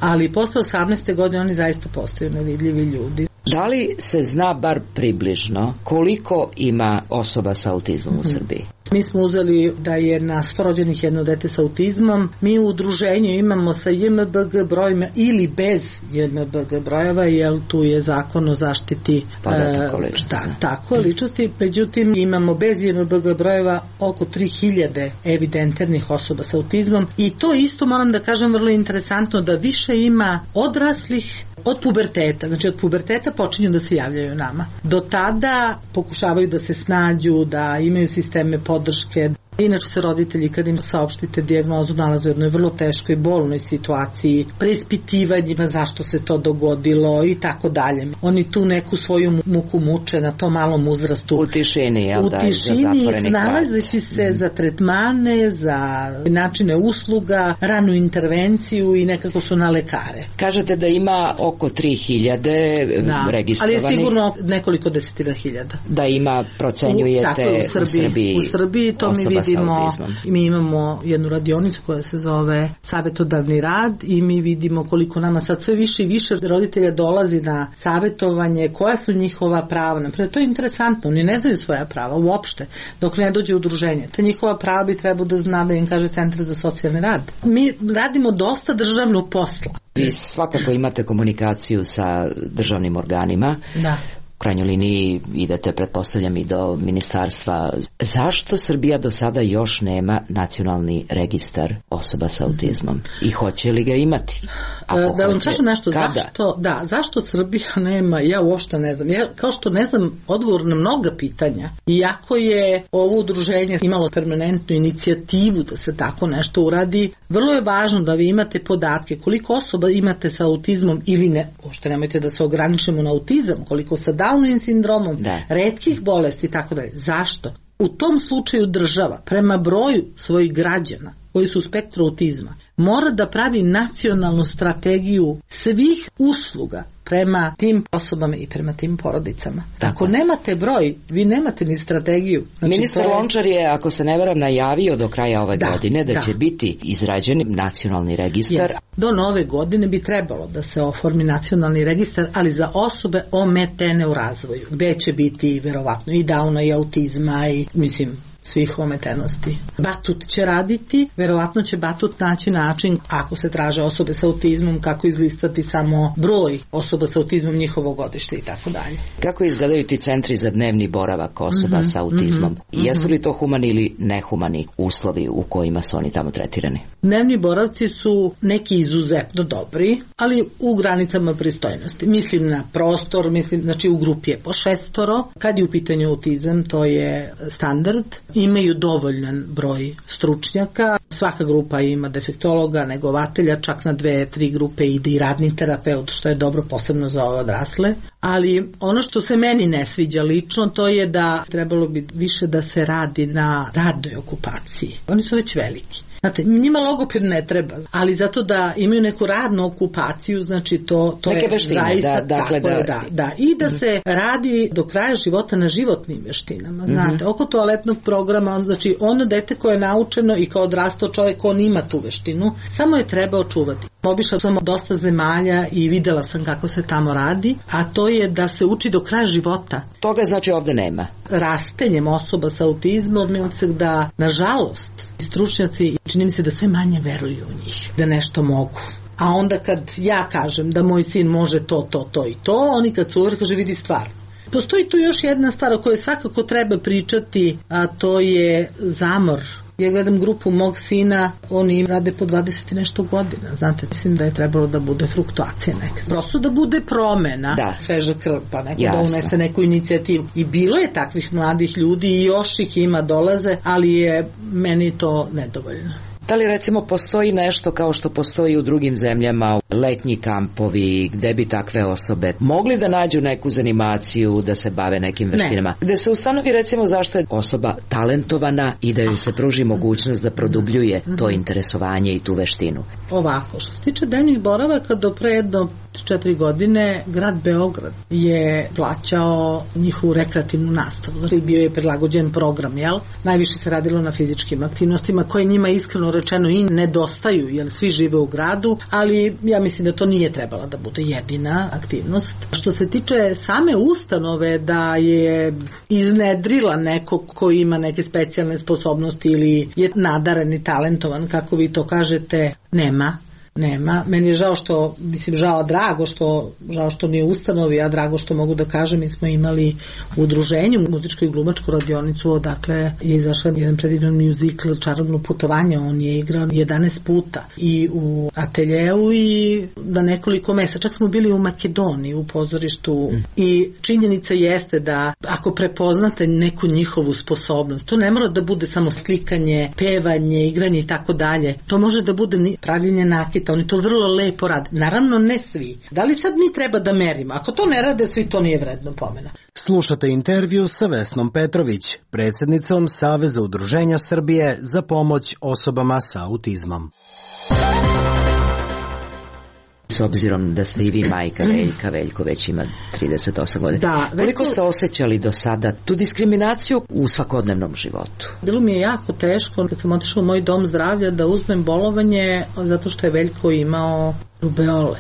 ali posle 18. godine oni zaista postaju nevidljivi ljudi. Da li se zna bar približno koliko ima osoba sa autizmom u Srbiji? Mi smo uzeli da je na 100 rođenih jedno dete sa autizmom. Mi u udruženju imamo sa JMBG brojima ili bez JMBG brojeva, jer tu je zakon o zaštiti ličnosti. Međutim, imamo bez JMBG brojeva oko 3000 evidentiranih osoba sa autizmom i to isto moram da kažem vrlo interesantno da više ima odraslih od puberteta. Znači od puberteta počinju da se javljaju nama. Do tada pokušavaju da se snađu, da imaju sisteme podrške. Inače se roditelji kad im saopštite dijagnozu nalaze u jednoj vrlo teškoj bolnoj situaciji, preispitivanjima zašto se to dogodilo i tako dalje. Oni tu neku svoju muku muče na tom malom uzrastu. U tišini, jel da? U tišini, snalazeći se za tretmane, za načine usluga, ranu intervenciju i nekako su na lekare. Kažete da ima oko 3000 registrovanih. Ali je sigurno nekoliko desetina hiljada. Da ima, procenjujete u Srbiji. U Srbiji to mi vidimo. Mi imamo jednu radionicu koja se zove savjetodavni rad i mi vidimo koliko nama sad sve više i više roditelja dolazi na savjetovanje, koja su njihova prava. Naprijed, to je interesantno, oni ne znaju svoja prava uopšte dok ne dođe udruženje. Ta njihova prava bi trebao da zna da im kaže Centar za socijalni rad. Mi radimo dosta državnog posla. Vi svakako imate komunikaciju sa državnim organima. Da. u krajnjoj liniji idete, pretpostavljam, i do ministarstva. Zašto Srbija do sada još nema nacionalni registar osoba sa autizmom? I hoće li ga imati? Da vam kažem nešto, zašto Srbija nema, ja uopšte ne znam. Ja, kao što ne znam odgovor na mnoga pitanja, iako je ovo udruženje imalo permanentnu inicijativu da se tako nešto uradi, vrlo je važno da vi imate podatke koliko osoba imate sa autizmom ili ne, uopšte nemojte da se ograničimo na autizam, koliko sa Downovim sindromom, retkih bolesti i tako dalje. Zašto? U tom slučaju država prema broju svojih građana koji su u spektru autizma mora da pravi nacionalnu strategiju svih usluga prema tim osobama i prema tim porodicama. Ako nemate broj, vi nemate ni strategiju. Znači, ministar Lončar je, ako se ne varam, najavio do kraja ove godine da će biti izrađen nacionalni registar. Do nove godine bi trebalo da se oformi nacionalni registar, ali za osobe ometene u razvoju, gde će biti verovatno i Downa i autizma i svih ometenosti. Batut će raditi, verovatno će Batut naći način, ako se traže osobe sa autizmom, kako izlistati samo broj osoba sa autizmom, njihovo godište i tako dalje. Kako izgledaju ti centri za dnevni boravak osoba sa autizmom? Jesu li to humani ili nehumani uslovi u kojima su oni tamo tretirani? Dnevni boravci su neki izuzetno dobri, ali u granicama pristojnosti. Mislim na prostor, znači u grupi je po 6. Kad je u pitanju autizam, to je standard. Imaju dovoljan broj stručnjaka, svaka grupa ima defektologa, negovatelja, čak na 2-3 grupe ide i radni terapeut, što je dobro posebno za ove odrasle. Ali ono što se meni ne sviđa lično, to je da trebalo bi više da se radi na radnoj okupaciji. Oni su već veliki. Znate, njima logoped ne treba, ali zato da imaju neku radnu okupaciju, znači to neke je veštine, zaista da. I da se radi do kraja života na životnim veštinama, znate, oko toaletnog programa, znači ono dete koje je naučeno i kao odrastao čovjek, on ima tu veštinu, samo je treba očuvati. Obišla sam dosta zemalja i videla sam kako se tamo radi, a to je da se uči do kraja života. Toga znači ovde nema. Rastenjem osoba sa autizmom je da, nažalost, stručnjaci, čini mi se da sve manje veruju u njih, da nešto mogu. A onda kad ja kažem da moj sin može to i to, oni kad su uvijek kaže vidi stvar. Postoji tu još jedna stvar o kojoj svakako treba pričati, a to je zamor. Ja gledam grupu mog sina, oni rade po 20 i nešto godina. Znate, mislim da je trebalo da bude fluktuacija neka. Prosto da bude promena, sveža krv, pa neko da unese neku inicijativu. I bilo je takvih mladih ljudi i još ih ima dolaze, ali je meni to nedovoljno. Da li recimo postoji nešto kao što postoji u drugim zemljama, letnji kampovi, gde bi takve osobe mogli da nađu neku zanimaciju, da se bave nekim veštinama? Gde se ustanovi recimo zašto je osoba talentovana i da joj se pruži mogućnost da produbljuje to interesovanje i tu veštinu? Ovako, što se tiče dnevnih boravaka, do pre jedno 4 godine grad Beograd je plaćao njihovu rekreativnu nastavu. Znači, bio je prilagođen program, jel? Najviše se radilo na fizičkim aktivnostima koje njima iskreno rečeno i nedostaju, jer svi žive u gradu, ali ja mislim da to nije trebala da bude jedina aktivnost. Što se tiče same ustanove da je iznedrila nekog ko ima neke specijalne sposobnosti ili je nadaren i talentovan, kako vi to kažete, nema. Meni je žao što, žao što nije ustanovi, a drago što mogu da kažem, mi smo imali u udruženju muzičku i glumačku radionicu, odakle je izašao jedan predivan muzikl Čarobno putovanje, on je igrao 11 puta i u ateljeu i na nekoliko mesta, čak smo bili u Makedoniji u pozorištu i činjenica jeste da ako prepoznate neku njihovu sposobnost, to ne mora da bude samo slikanje, pevanje, igranje i tako dalje, to može da bude pravljenje nakita, oni to vrlo lepo rade. Naravno ne svi. Da li sad mi treba da merimo? Ako to ne rade svi, to nije vredno pomena. Slušate intervju sa Vesnom Petrović, predsjednicom Saveza udruženja Srbije za pomoć osobama sa autizmom. S obzirom da ste i vi majka Veljka, Veljko već ima 38 godina. Koliko ste osjećali do sada tu diskriminaciju u svakodnevnom životu? Bilo mi je jako teško kad sam otišla u moj dom zdravlja da uzmem bolovanje zato što je Veljko imao rubeole.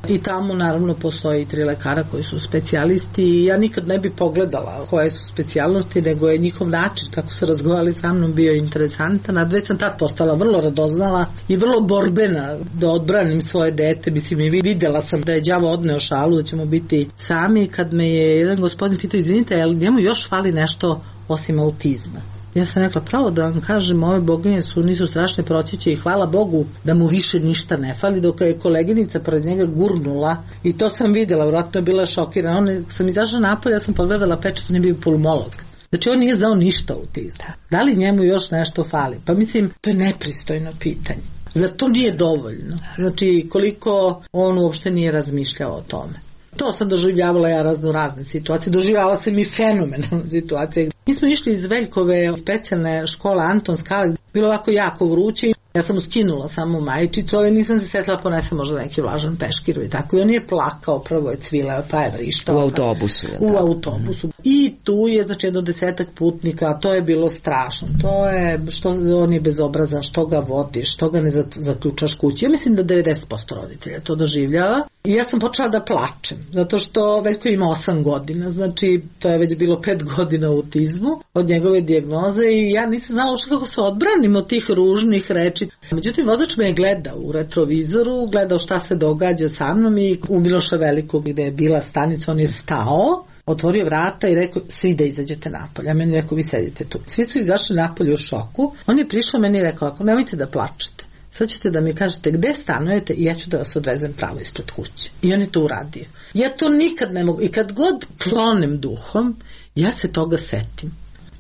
I tamo naravno postoji 3 lekara koji su specijalisti i ja nikad ne bi pogledala koje su specijalnosti, nego je njihov način kako su razgovarali sa mnom bio interesantan, a već sam tad postala vrlo radoznala i vrlo borbena da odbranim svoje dete. Mislim, i videla sam da je đavo odneo šalu, da ćemo biti sami, kad me je jedan gospodin pitao, izvinite, jel njemu još fali nešto osim autizma? Ja sam rekla, pravo da vam kažem, ove boginje nisu strašne, proći će i hvala Bogu da mu više ništa ne fali, dok je koleginica pred njega gurnula i to sam videla, vjerojatno je bila šokirana. Sam izašla napolje, ja sam pogledala pečat, on je bio pulmolog. Znači on nije znao ništa o autizmu. Da li njemu još nešto fali? Pa mislim, to je nepristojno pitanje. Zar to nije dovoljno? Znači koliko on uopšte nije razmišljao o tome. To sam doživljavala ja razne situacije. Doživljavala sam i fenomenalne situacije. Mi smo išli iz Veljkove specijalne škole Anton Skale. Bilo ovako jako vruće. Ja sam skinula samo majičicu, ali nisam se setila ponesem možda neki vlažan peškir i tako. I on je plakao, prvo je cvileo, pa je vrištao. U autobusu. U autobusu. I tu je znači jedno 10 putnika, to je bilo strašno. To je, što on je bezobrazan, što ga vodiš, što ga ne zaključaš kući. Ja mislim da 90% roditelja to doživljava. I ja sam počela da plačem, zato što Veljko ima 8 godina, znači to je već bilo 5 godina u autizmu od njegove dijagnoze i ja nisam znala uopšte kako se odbranim od tih ružnih reči. Međutim, vozač me je gledao u retrovizoru, gledao šta se događa sa mnom i u Miloša Velikog gde je bila stanica, on je stao, otvorio vrata i rekao, svi da izađete napolje. A meni rekao, vi sedite tu. Svi su izašli napolje u šoku. On je prišao meni i rekao, ako nemojte da plačete, sad ćete da mi kažete gde stanujete i ja ću da vas odvezem pravo ispred kuće. I on je to uradio. Ja to nikad ne mogu. I kad god klonem duhom, ja se toga setim.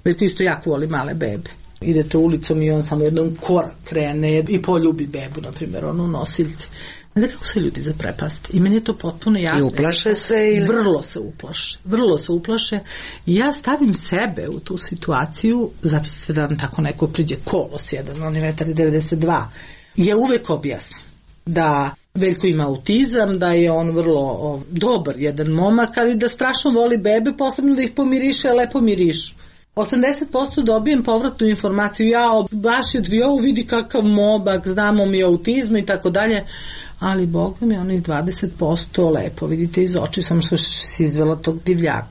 Veljko isto jako voli male bebe. Idete ulicom i on samo jednom korak krene i poljubi bebu, na primjer, onu u nosiljci. Znate kako se ljudi zaprepasti. I meni je to potpuno jasno. I uplaše se? Ili? Vrlo se uplaše. I ja stavim sebe u tu situaciju, zamislite da vam tako neko priđe kolos jedan, on je 1,92 m. Ja uvek objasnim da Veljko ima autizam, da je on vrlo dobar jedan momak, ali da strašno voli bebe, posebno da ih pomiriše, lepo mirišu. 80% dobijem povratnu informaciju, ja baš je dvio, vidi kakav momak, znamo mi autizmu i tako dalje, ali Boga mi onih 20% lepo, vidite iz oči, samo što si izvela tog divljaka.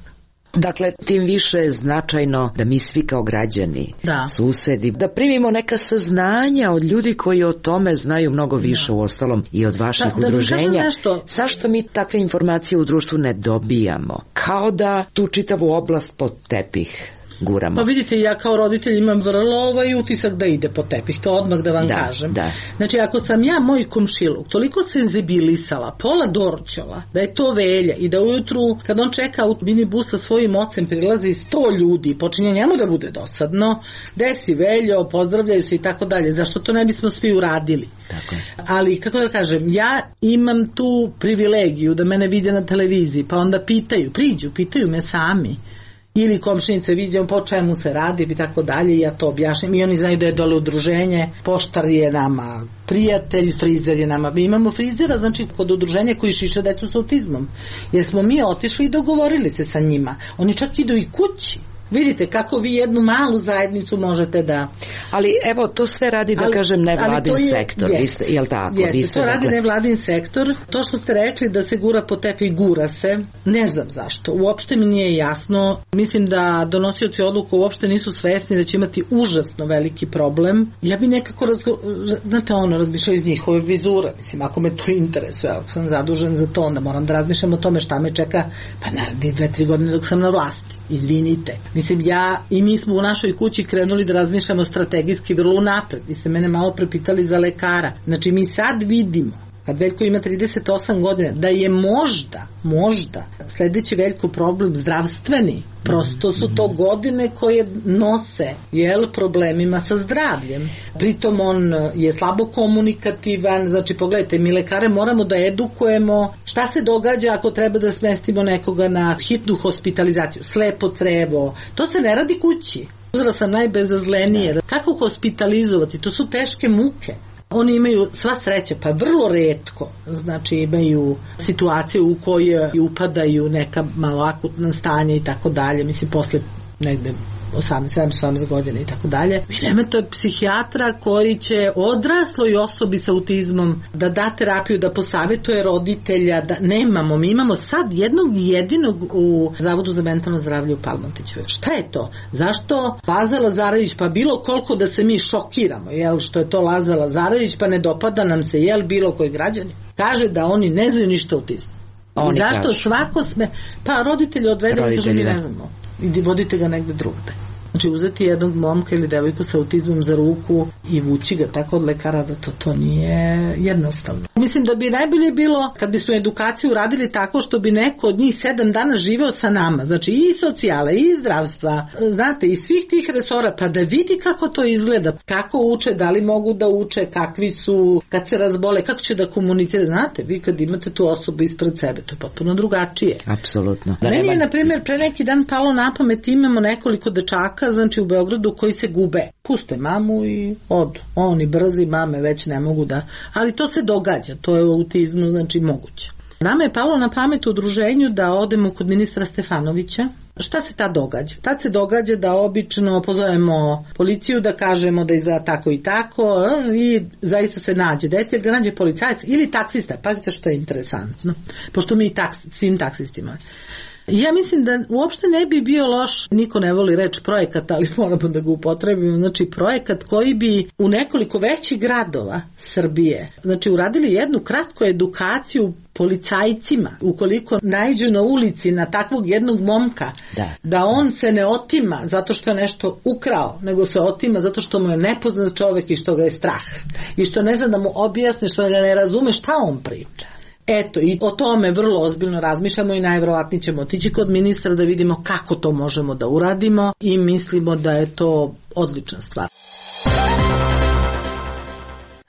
Dakle, tim više je značajno da mi svi kao građani, susedi, da primimo neka saznanja od ljudi koji o tome znaju mnogo više, u ostalom i od vaših udruženja. Zašto mi takve informacije u društvu ne dobijamo? Kao da tu čitavu oblast pod tepih guramo. Pa vidite, ja kao roditelj imam vrlo utisak da ide po tepih, to odmah da vam kažem. Znači, ako sam ja moj komšiluk toliko senzibilisala, pola Dorćola, da je to Velja i da ujutru, kad on čeka u minibus sa svojim ocem, prilazi 100 ljudi i počinje njemu da bude dosadno, desi Veljo, pozdravljaju se i tako dalje. Zašto to ne bismo svi uradili? Tako je. Ali, kako da kažem, ja imam tu privilegiju da mene vide na televiziji, pa onda pitaju me sami. Ili komšinice viđem po čemu se radi i tako dalje, ja to objašnjam i oni znaju da je dole udruženje, poštar je nama prijatelj, frizer je nama, mi imamo frizera, znači kod udruženja koji šiše decu s autizmom, jer smo mi otišli i dogovorili se sa njima, oni čak idu i kući. Vidite kako vi jednu malu zajednicu možete da... Ali evo, to sve radi, da kažem, nevladin sektor, je li tako? Jeste, to radi nevladin sektor. To što ste rekli da se gura po tepih, gura se. Ne znam zašto. Uopšte mi nije jasno. Mislim da donosioci odluka uopšte nisu svesni da će imati užasno veliki problem. Ja bi nekako razmišljao iz njihove vizure. Mislim, ako me to interesuje, ako sam zadužen za to, onda moram da razmišljam o tome šta me čeka, pa naravno 2-3 godine dok sam na vlasti. Izvinite. Mislim, ja i mi smo u našoj kući krenuli da razmišljamo strategijski vrlo unapred. Vi ste mene malo prepitali za lekara. Znači, mi sad vidimo, kad Veljko ima 38 godina, da je možda sljedeći Veljko problem zdravstveni. Prosto su to godine koje nose problemima sa zdravljem. Pritom on je slabo komunikativan. Znači, pogledajte, mi lekare moramo da edukujemo šta se događa ako treba da smestimo nekoga na hitnu hospitalizaciju. Slepo crevo. To se ne radi kući. Uzela sam najbezazlenije. Kako hospitalizovati? To su teške muke. Oni imaju sva sreća, pa vrlo retko, znači imaju situaciju u kojoj upadaju neka malo akutna stanja i tako dalje, mislim posle negde 18 godina i tako dalje. To je psihijatra koji će odrasloj osobi sa autizmom da da terapiju, da posavetuje roditelja, da nemamo, mi imamo sad jednog jedinog u Zavodu za mentalno zdravlje u Palmontićevoj. Šta je to? Zašto Laza Lazarević, pa bilo koliko da se mi šokiramo, jel, što je to Laza Lazarević, pa ne dopada nam se, jel, bilo koji građani, kaže da oni ne znaju ništa o autizmu. I zašto svako sme, pa roditelji odvedemo, kažu mi ne znamo, idi vodite ga negde drugde. Znači uzeti jednog momka ili devojku sa autizmom za ruku i vući ga tako od lekara, da to nije jednostavno. Mislim da bi najbolje bilo kad bismo edukaciju radili tako što bi neko od njih 7 dana živeo sa nama, znači i socijale i zdravstva, znate, i svih tih resora, pa da vidi kako to izgleda, kako uče, da li mogu da uče, kakvi su, kad se razbole, kako će da komunicira, znate, vi kad imate tu osobu ispred sebe, to je potpuno drugačije. Apsolutno. Meni je, na primjer, pre neki dan palo na pamet, imamo nekoliko dečaka, znači u Beogradu, koji se gube. Puste mamu i odu. Oni brzi, mame već ne mogu da... Ali to se događa, to je u autizmu, znači moguće. Nama je palo na pamet u udruženju da odemo kod ministra Stefanovića. Šta se tad događa? Tad se događa da obično pozovemo policiju, da kažemo da izgleda tako i tako i zaista se nađe dete, da nađe policajac ili taksista. Pazite što je interesantno, pošto mi svim taksistima. Ja mislim da uopšte ne bi bio loš, niko ne voli reč projekat, ali moramo da ga upotrebimo, znači projekat koji bi u nekoliko većih gradova Srbije, znači uradili jednu kratku edukaciju policajcima, ukoliko naiđu na ulici na takvog jednog momka, da on se ne otima zato što je nešto ukrao, nego se otima zato što mu je nepoznat čovek i što ga je strah. I što ne zna da mu objasni, što ga ne razume šta on priča. Eto, i o tome vrlo ozbiljno razmišljamo i najverovatnije ćemo otići kod ministra da vidimo kako to možemo da uradimo i mislimo da je to odlična stvar.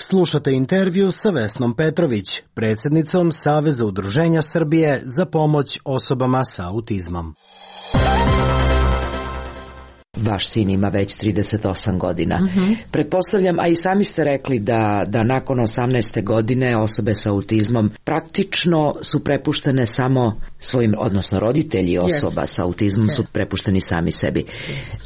Slušate intervju sa Vesnom Petrović, predsjednicom Saveza udruženja Srbije za pomoć osobama sa autizmom. Vaš sin ima već 38 godina. Pretpostavljam, a i sami ste rekli da nakon 18. godine osobe sa autizmom praktično su prepuštene samo svojim, odnosno roditelji osoba sa autizmom su prepušteni sami sebi.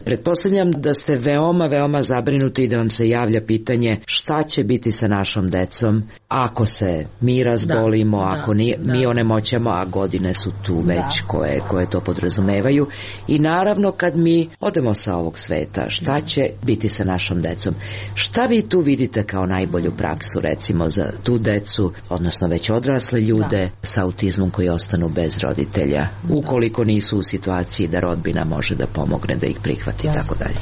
Pretpostavljam da ste veoma zabrinuti i da vam se javlja pitanje šta će biti sa našom decom ako se mi razbolimo, ako mi onemoćamo, a godine su tu već koje to podrazumevaju. I naravno kad mi odemo sa ovog sveta, šta će biti sa našom decom? Šta vi tu vidite kao najbolju praksu, recimo, za tu decu, odnosno već odrasle ljude sa autizmom koji ostanu bez roditelja, ukoliko nisu u situaciji da rodbina može da pomogne, da ih prihvati i tako dalje?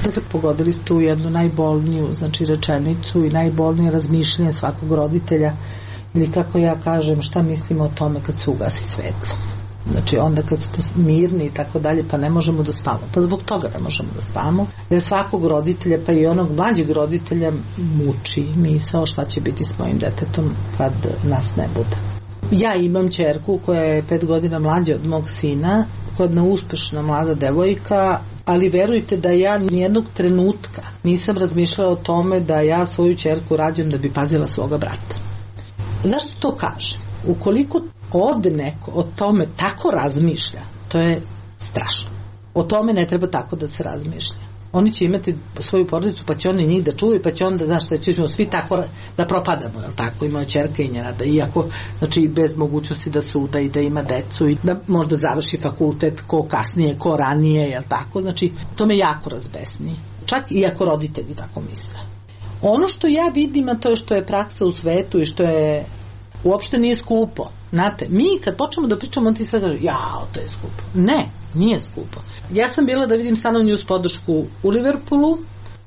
Dakle, pogodili ste u jednu najbolniju, znači, rečenicu i najbolnije razmišljanje svakog roditelja, ili kako ja kažem, šta mislimo o tome kad se ugasi svetlo. Znači onda kad smo mirni i tako dalje, pa ne možemo da spavamo. Pa zbog toga ne možemo da spavamo, jer svakog roditelja, pa i onog mlađeg roditelja, muči misao šta će biti s mojim detetom kad nas ne bude. Ja imam ćerku koja je 5 godina mlađa od mog sina, koja je jedna uspešna mlada devojka, ali verujte da ja nijednog trenutka nisam razmišljala o tome da ja svoju ćerku rađam da bi pazila svoga brata. Zašto to kažem? Ukoliko ovde neko o tome tako razmišlja, to je strašno. O tome ne treba tako da se razmišlja. Oni će imati svoju porodicu, pa će oni njih da čuvaju, pa će onda, znaš šta, ćemo svi tako da propadamo, jel tako, ima ćerka i njena, da iako, znači, bez mogućnosti da suda i da ima decu i da možda završi fakultet, ko kasnije, ko ranije, jel tako, znači, to me jako razbesni. Čak i ako roditelji tako misle. Ono što ja vidim, a to je što je praksa u svetu i što je uopšte nije skupo. Znate, mi kad počnemo da pričamo, on ti sad kaže, jao, to je skupo. Ne, nije skupo. Ja sam bila da vidim stanovnju uz podršku u Liverpoolu,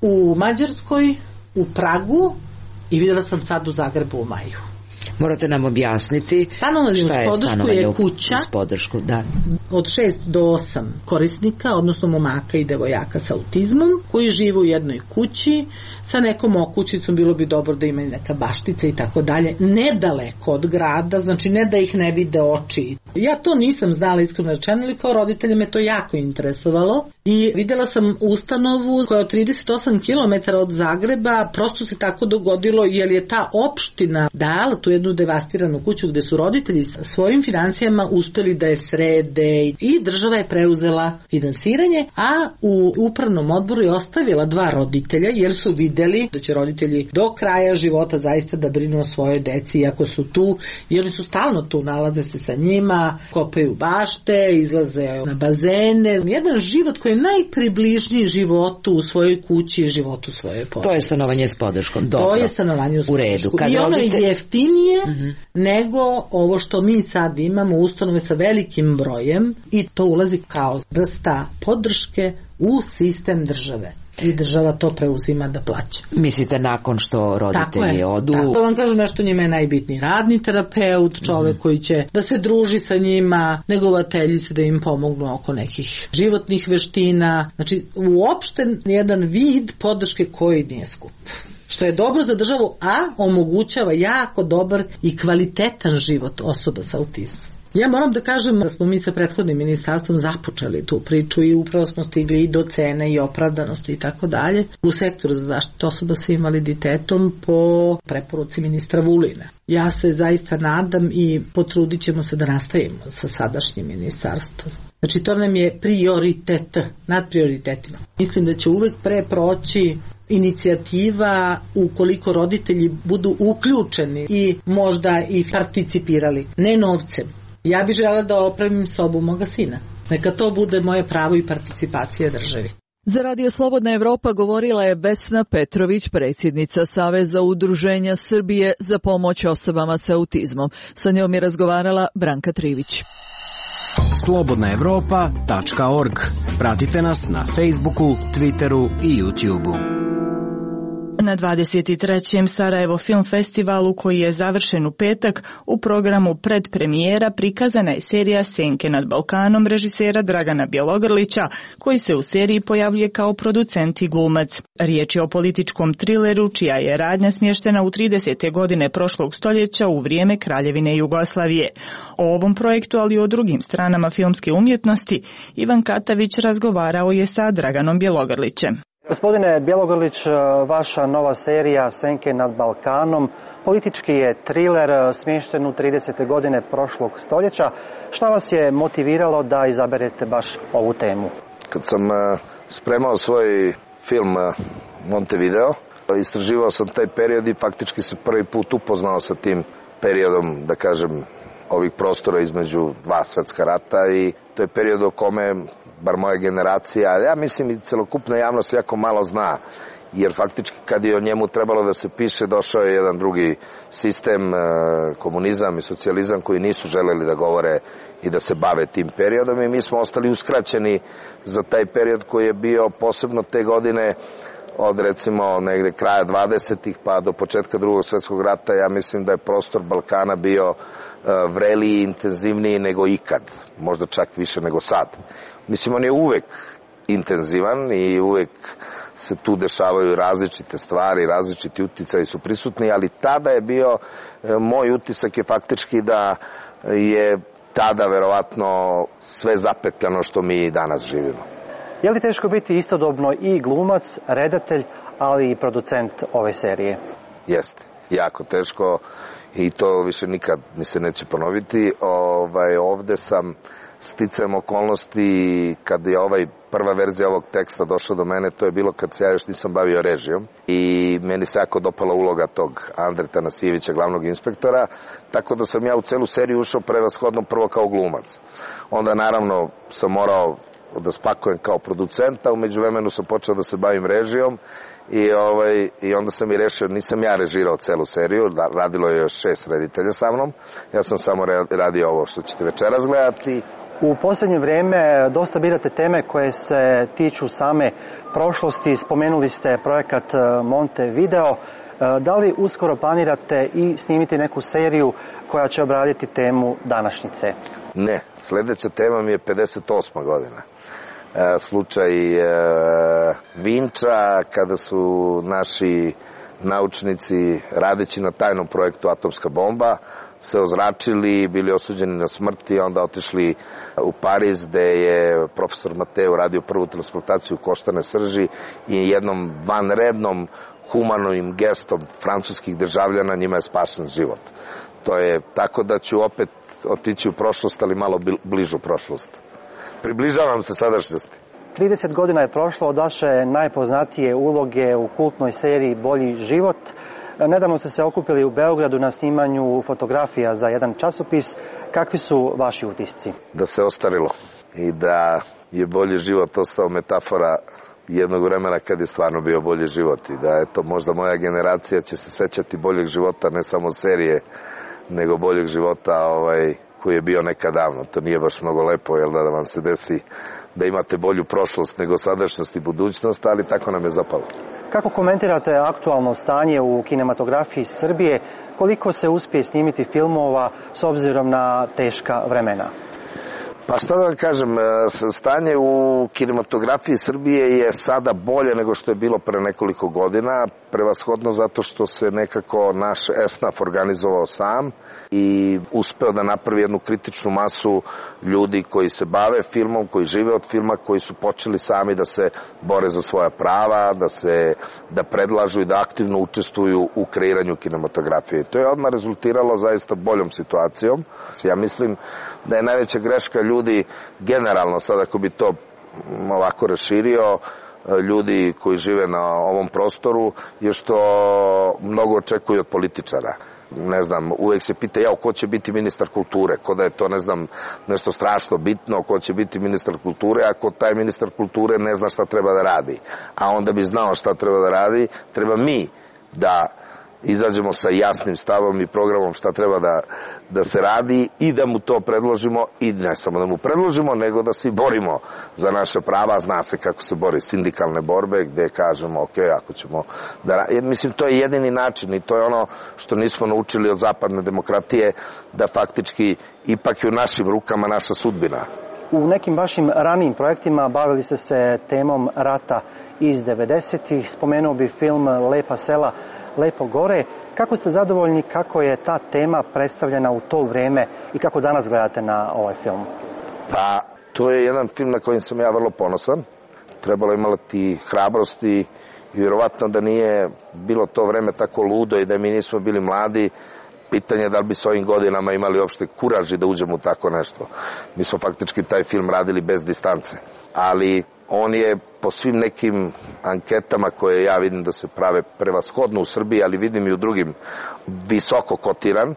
u Mađarskoj, u Pragu i videla sam sad u Zagrebu u maju. Morate nam objasniti šta je stanovanje uz podršku. Od 6 do 8 korisnika, odnosno momaka i devojaka sa autizmom, koji žive u jednoj kući sa nekom okućicom, bilo bi dobro da imaju neka baštica i tako dalje, nedaleko od grada, znači ne da ih ne vide oči. Ja to nisam znala, iskreno rečeno, ali kao roditelje me to jako interesovalo I videla sam ustanovu koja je 38 km od Zagreba, prosto se tako dogodilo jer je ta opština dala tu jednu devastiranu kuću gde su roditelji sa svojim financijama uspeli da je srede i država je preuzela finansiranje, a u upravnom odboru je ostavila 2 roditelja jer su videli da će roditelji do kraja života zaista da brinu o svojoj deci iako su tu, jer su stalno tu, nalaze se sa njima, kopaju bašte, izlaze na bazene. Jedan život koji je najpribližniji životu u svojoj kući i životu svoje porodice. To je stanovanje s podrškom. Dobro. To je stanovanje s podrškom. Kad i ono je jeftinije nego ovo što mi sad imamo, ustanove sa velikim brojem, i to ulazi kao vrsta podrške u sistem države. I država to preuzima da plaća. Mislite nakon što roditelji odu? Tako vam kažem, nešto njima je najbitniji radni terapeut, čovek koji će da se druži sa njima, negovateljice da im pomognu oko nekih životnih veština. Znači, uopšte jedan vid podrške koji nije skup. Što je dobro za državu, a omogućava jako dobar i kvalitetan život osoba sa autizmom. Ja moram da kažem da smo mi sa prethodnim ministarstvom započeli tu priču i upravo smo stigli i do cene i opravdanosti i tako dalje u sektoru za zaštitu osoba sa invaliditetom po preporuci ministra Vulina. Ja se zaista nadam i potrudit ćemo se da nastavimo sa sadašnjim ministarstvom. Znači to nam je prioritet nad prioritetima. Mislim da će uvek pre proći inicijativa ukoliko roditelji budu uključeni i možda i participirali, ne novcem. Ja bih želela da opremim sobu moga sina. Neka to bude moje pravo i participacija državi. Za Radio Slobodna Evropa govorila je Vesna Petrović, predsjednica Saveza udruženja Srbije za pomoć osobama sa autizmom. Sa njom je razgovarala Branka Trivić. slobodnaevropa.org. Pratite nas na Facebooku, Twitteru i YouTubeu. Na 23. Sarajevo Film Festivalu, koji je završen u petak, u programu predpremijera prikazana je serija Senke nad Balkanom režisera Dragana Bjelogrlića, koji se u seriji pojavljuje kao producent i glumac. Riječ je o političkom trileru čija je radnja smještena u 30. godine prošlog stoljeća u vrijeme Kraljevine Jugoslavije. O ovom projektu, ali i o drugim stranama filmske umjetnosti, Ivan Katavić razgovarao je sa Draganom Bjelogrlićem. Gospodine Bjelogrlić, vaša nova serija Senke nad Balkanom politički je triler smješten u 30. godine prošlog stoljeća. Šta vas je motiviralo da izaberete baš ovu temu? Kad sam spremao svoj film Montevideo, istraživao sam taj period i faktički se prvi put upoznao sa tim periodom, da kažem, ovih prostora između 2 svjetska rata, i to je period o kome bar moja generacija, ali ja mislim i celokupna javnost jako malo zna, jer faktički kad je o njemu trebalo da se piše, došao je jedan drugi sistem, komunizam i socijalizam, koji nisu želeli da govore i da se bave tim periodom, i mi smo ostali uskraćeni za taj period koji je bio posebno te godine, od recimo negde kraja 20. pa do početka Drugog svjetskog rata. Ja mislim da je prostor Balkana bio vreliji, intenzivniji nego ikad, možda čak više nego sad. Mislim, on je uvek intenzivan i uvek se tu dešavaju različite stvari, različiti uticaji su prisutni, ali tada je bio, moj utisak je faktički da je tada verovatno sve zapetljano što mi danas živimo. Je li teško biti istodobno i glumac, redatelj, ali i producent ove serije? Jeste, jako teško, i to više nikad mi se neće ponoviti. Ovde sam sticajem okolnosti, kad je prva verzija ovog teksta došla do mene, to je bilo kad se ja još nisam bavio režijom, i meni se jako dopala uloga tog Andre Tanasijevića, glavnog inspektora, tako da sam ja u celu seriju ušao prevashodno prvo kao glumac. Onda naravno sam morao da spakujem kao producenta, u međuvremenu sam počeo da se bavim režijom, i onda sam i rešio, nisam ja režirao celu seriju, radilo je još 6 reditelja sa mnom, ja sam samo radio ovo što ćete večeras gledati. U posljednje vrijeme dosta birate teme koje se tiču same prošlosti, spomenuli ste projekat Montevideo. Da li uskoro planirate i snimiti neku seriju koja će obraditi temu današnjice? Ne, sljedeća tema mi je 58. godina. Slučaj Vinča, kada su naši naučnici, radeći na tajnom projektu Atomska bomba, se ozračili, bili osuđeni na smrt i onda otišli u Pariz gde je profesor Mateo radio prvu transplantaciju koštane srži i jednom vanrednom humanim gestom francuskih državljana njima je spašen život. To je tako da ću opet otići u prošlost, ali malo bližu prošlost. Približavam se sadašnjosti. 30 godina je prošlo od vaše najpoznatije uloge u kultnoj seriji Bolji život. Nedavno ste se okupili u Beogradu na snimanju fotografija za jedan časopis. Kakvi su vaši utisci? Da se ostarilo i da je bolji život ostao metafora jednog vremena kad je stvarno bio bolji život i da je to možda moja generacija će se sećati boljeg života, ne samo serije, nego boljeg života koji je bio nekad davno. To nije baš mnogo lepo, jel da vam se desi da imate bolju prošlost nego sadašnjost i budućnost, ali tako nam je zapalo. Kako komentirate aktualno stanje u kinematografiji Srbije? Koliko se uspije snimiti filmova s obzirom na teška vremena? Pa šta da vam kažem, stanje u kinematografiji Srbije je sada bolje nego što je bilo pre nekoliko godina, prevashodno zato što se nekako naš esnaf organizovao sam i uspeo da napravi jednu kritičnu masu ljudi koji se bave filmom, koji žive od filma, koji su počeli sami da se bore za svoja prava, da predlažu i da aktivno učestvuju u kreiranju kinematografije. To je odmah rezultiralo zaista boljom situacijom. Ja mislim da je najveća greška ljudi generalno, sad ako bi to ovako raširio, ljudi koji žive na ovom prostoru, je što mnogo očekuju od političara. Ne znam, uvek se pita ko će biti ministar kulture, ko da je to, ne znam, nešto strašno bitno, ko će biti ministar kulture, ako taj ministar kulture ne zna šta treba da radi. A onda bi znao šta treba da radi, treba mi da izađemo sa jasnim stavom i programom šta treba da se radi i da mu to predložimo i ne samo da mu predložimo, nego da se borimo za naše prava. Zna se kako se bori sindikalne borbe gde kažemo ako ćemo da... Mislim, to je jedini način i to je ono što nismo naučili od zapadne demokratije, da faktički ipak je u našim rukama naša sudbina. U nekim vašim ranijim projektima bavili ste se temom rata iz 90-ih. Spomenuo bi film Lepa sela, Lepo gore. Kako ste zadovoljni kako je ta tema predstavljena u to vreme i kako danas gledate na ovaj film? Pa, to je jedan film na kojim sam ja vrlo ponosan. Trebalo imati hrabrosti i vjerovatno da nije bilo to vreme tako ludo i da mi nismo bili mladi. Pitanje je da li bi s ovim godinama imali uopšte kuraži da uđemo u tako nešto. Mi smo faktički taj film radili bez distance. Ali on je po svim nekim anketama koje ja vidim da se prave prevashodno u Srbiji, ali vidim i u drugim, visoko kotiran.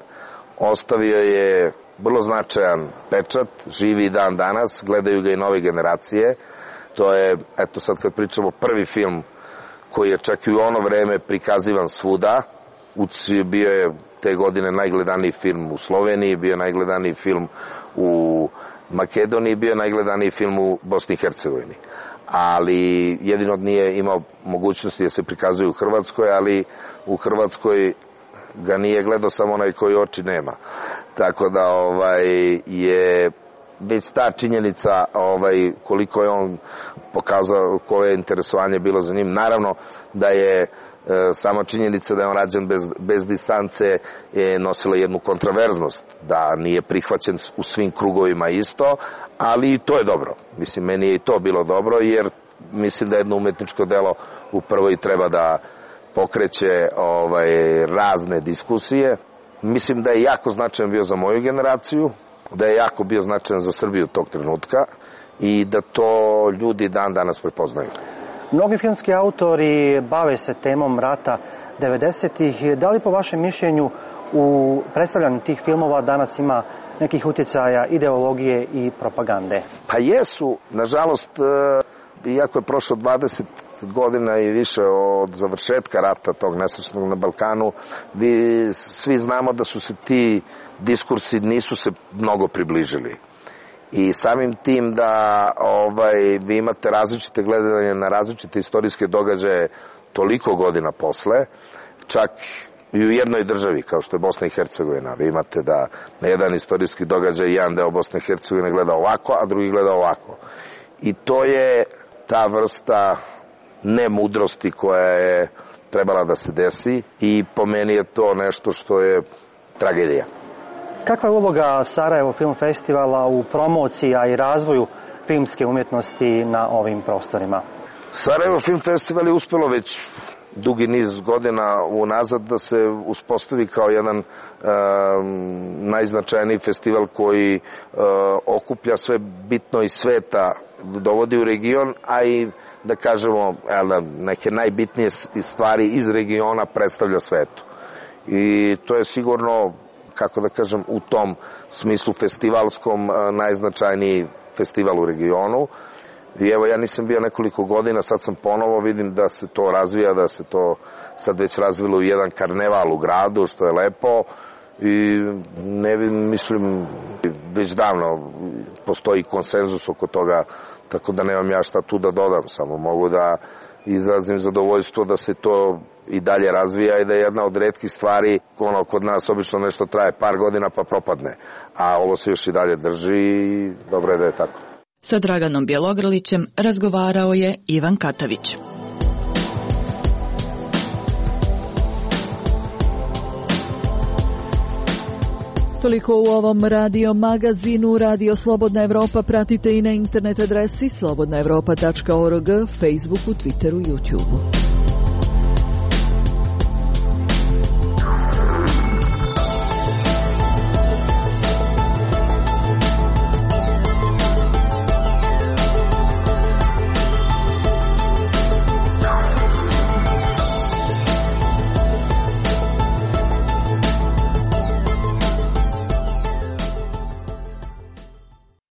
Ostavio je vrlo značajan pečat, živi dan danas, gledaju ga i nove generacije. To je, eto sad kad pričamo, prvi film koji je čak i u ono vreme prikazivan svuda. Bio je te godine najgledaniji film u Sloveniji, bio je najgledaniji film u Makedoniji, bio je najgledaniji film u Bosni i Hercegovini. Ali jedino nije imao mogućnosti da se prikazuje u Hrvatskoj, ali u Hrvatskoj ga nije gledao samo onaj koji oči nema. Tako da je već ta činjenica koliko je on pokazao, koje je interesovanje bilo za njim. Naravno da je sama činjenica da je on rađen bez distance je nosila jednu kontraverznost, da nije prihvaćen u svim krugovima isto, ali i to je dobro. Mislim, meni je i to bilo dobro, jer mislim da jedno umetničko delo upravo i treba da pokreće razne diskusije. Mislim da je jako značajan bio za moju generaciju, da je jako bio značajan za Srbiju tog trenutka i da to ljudi dan danas prepoznaju. Mnogi filmski autori bave se temom rata 90-ih. Da li po vašem mišljenju u predstavljanju tih filmova danas ima nekih utjecaja ideologije i propagande? Pa jesu. Nažalost, iako je prošlo 20 godina i više od završetka rata tog nesrećnog na Balkanu, svi znamo da su se ti diskursi nisu se mnogo približili. I samim tim da vi imate različite gledanje na različite istorijske događaje toliko godina posle, čak i u jednoj državi kao što je Bosna i Hercegovina. Vi imate da na jedan istorijski događaj jedan deo Bosne i Hercegovine gleda ovako, a drugi gleda ovako. I to je ta vrsta nemudrosti koja je trebala da se desi i po meni je to nešto što je tragedija. Kakva je uloga Sarajevo Film Festivala u promociji, a i razvoju filmske umjetnosti na ovim prostorima? Sarajevo Film Festival je uspelo već dugi niz godina unazad da se uspostavi kao jedan najznačajniji festival koji okuplja sve bitno iz sveta, dovodi u region, a i da kažemo neke najbitnije stvari iz regiona predstavlja svetu. I to je sigurno, kako da kažem, u tom smislu festivalskom najznačajniji festival u regionu. I evo, ja nisam bio nekoliko godina, sad sam ponovo, vidim da se to razvija, da se to sad već razvilo u jedan karneval u gradu, što je lepo. I mislim, već davno postoji konsenzus oko toga, tako da nemam ja šta tu da dodam, samo mogu da izrazim zadovoljstvo da se to i dalje razvija i da je jedna od retkih stvari, kod nas obično nešto traje par godina pa propadne, a ovo se još i dalje drži i dobro je da je tako. Sa Draganom Bjelogrlićem razgovarao je Ivan Katavić. Toliko u ovom radio magazinu. Radio Slobodna Evropa pratite i na internet adresi slobodnaevropa.org, Facebooku, Twitteru, YouTubeu.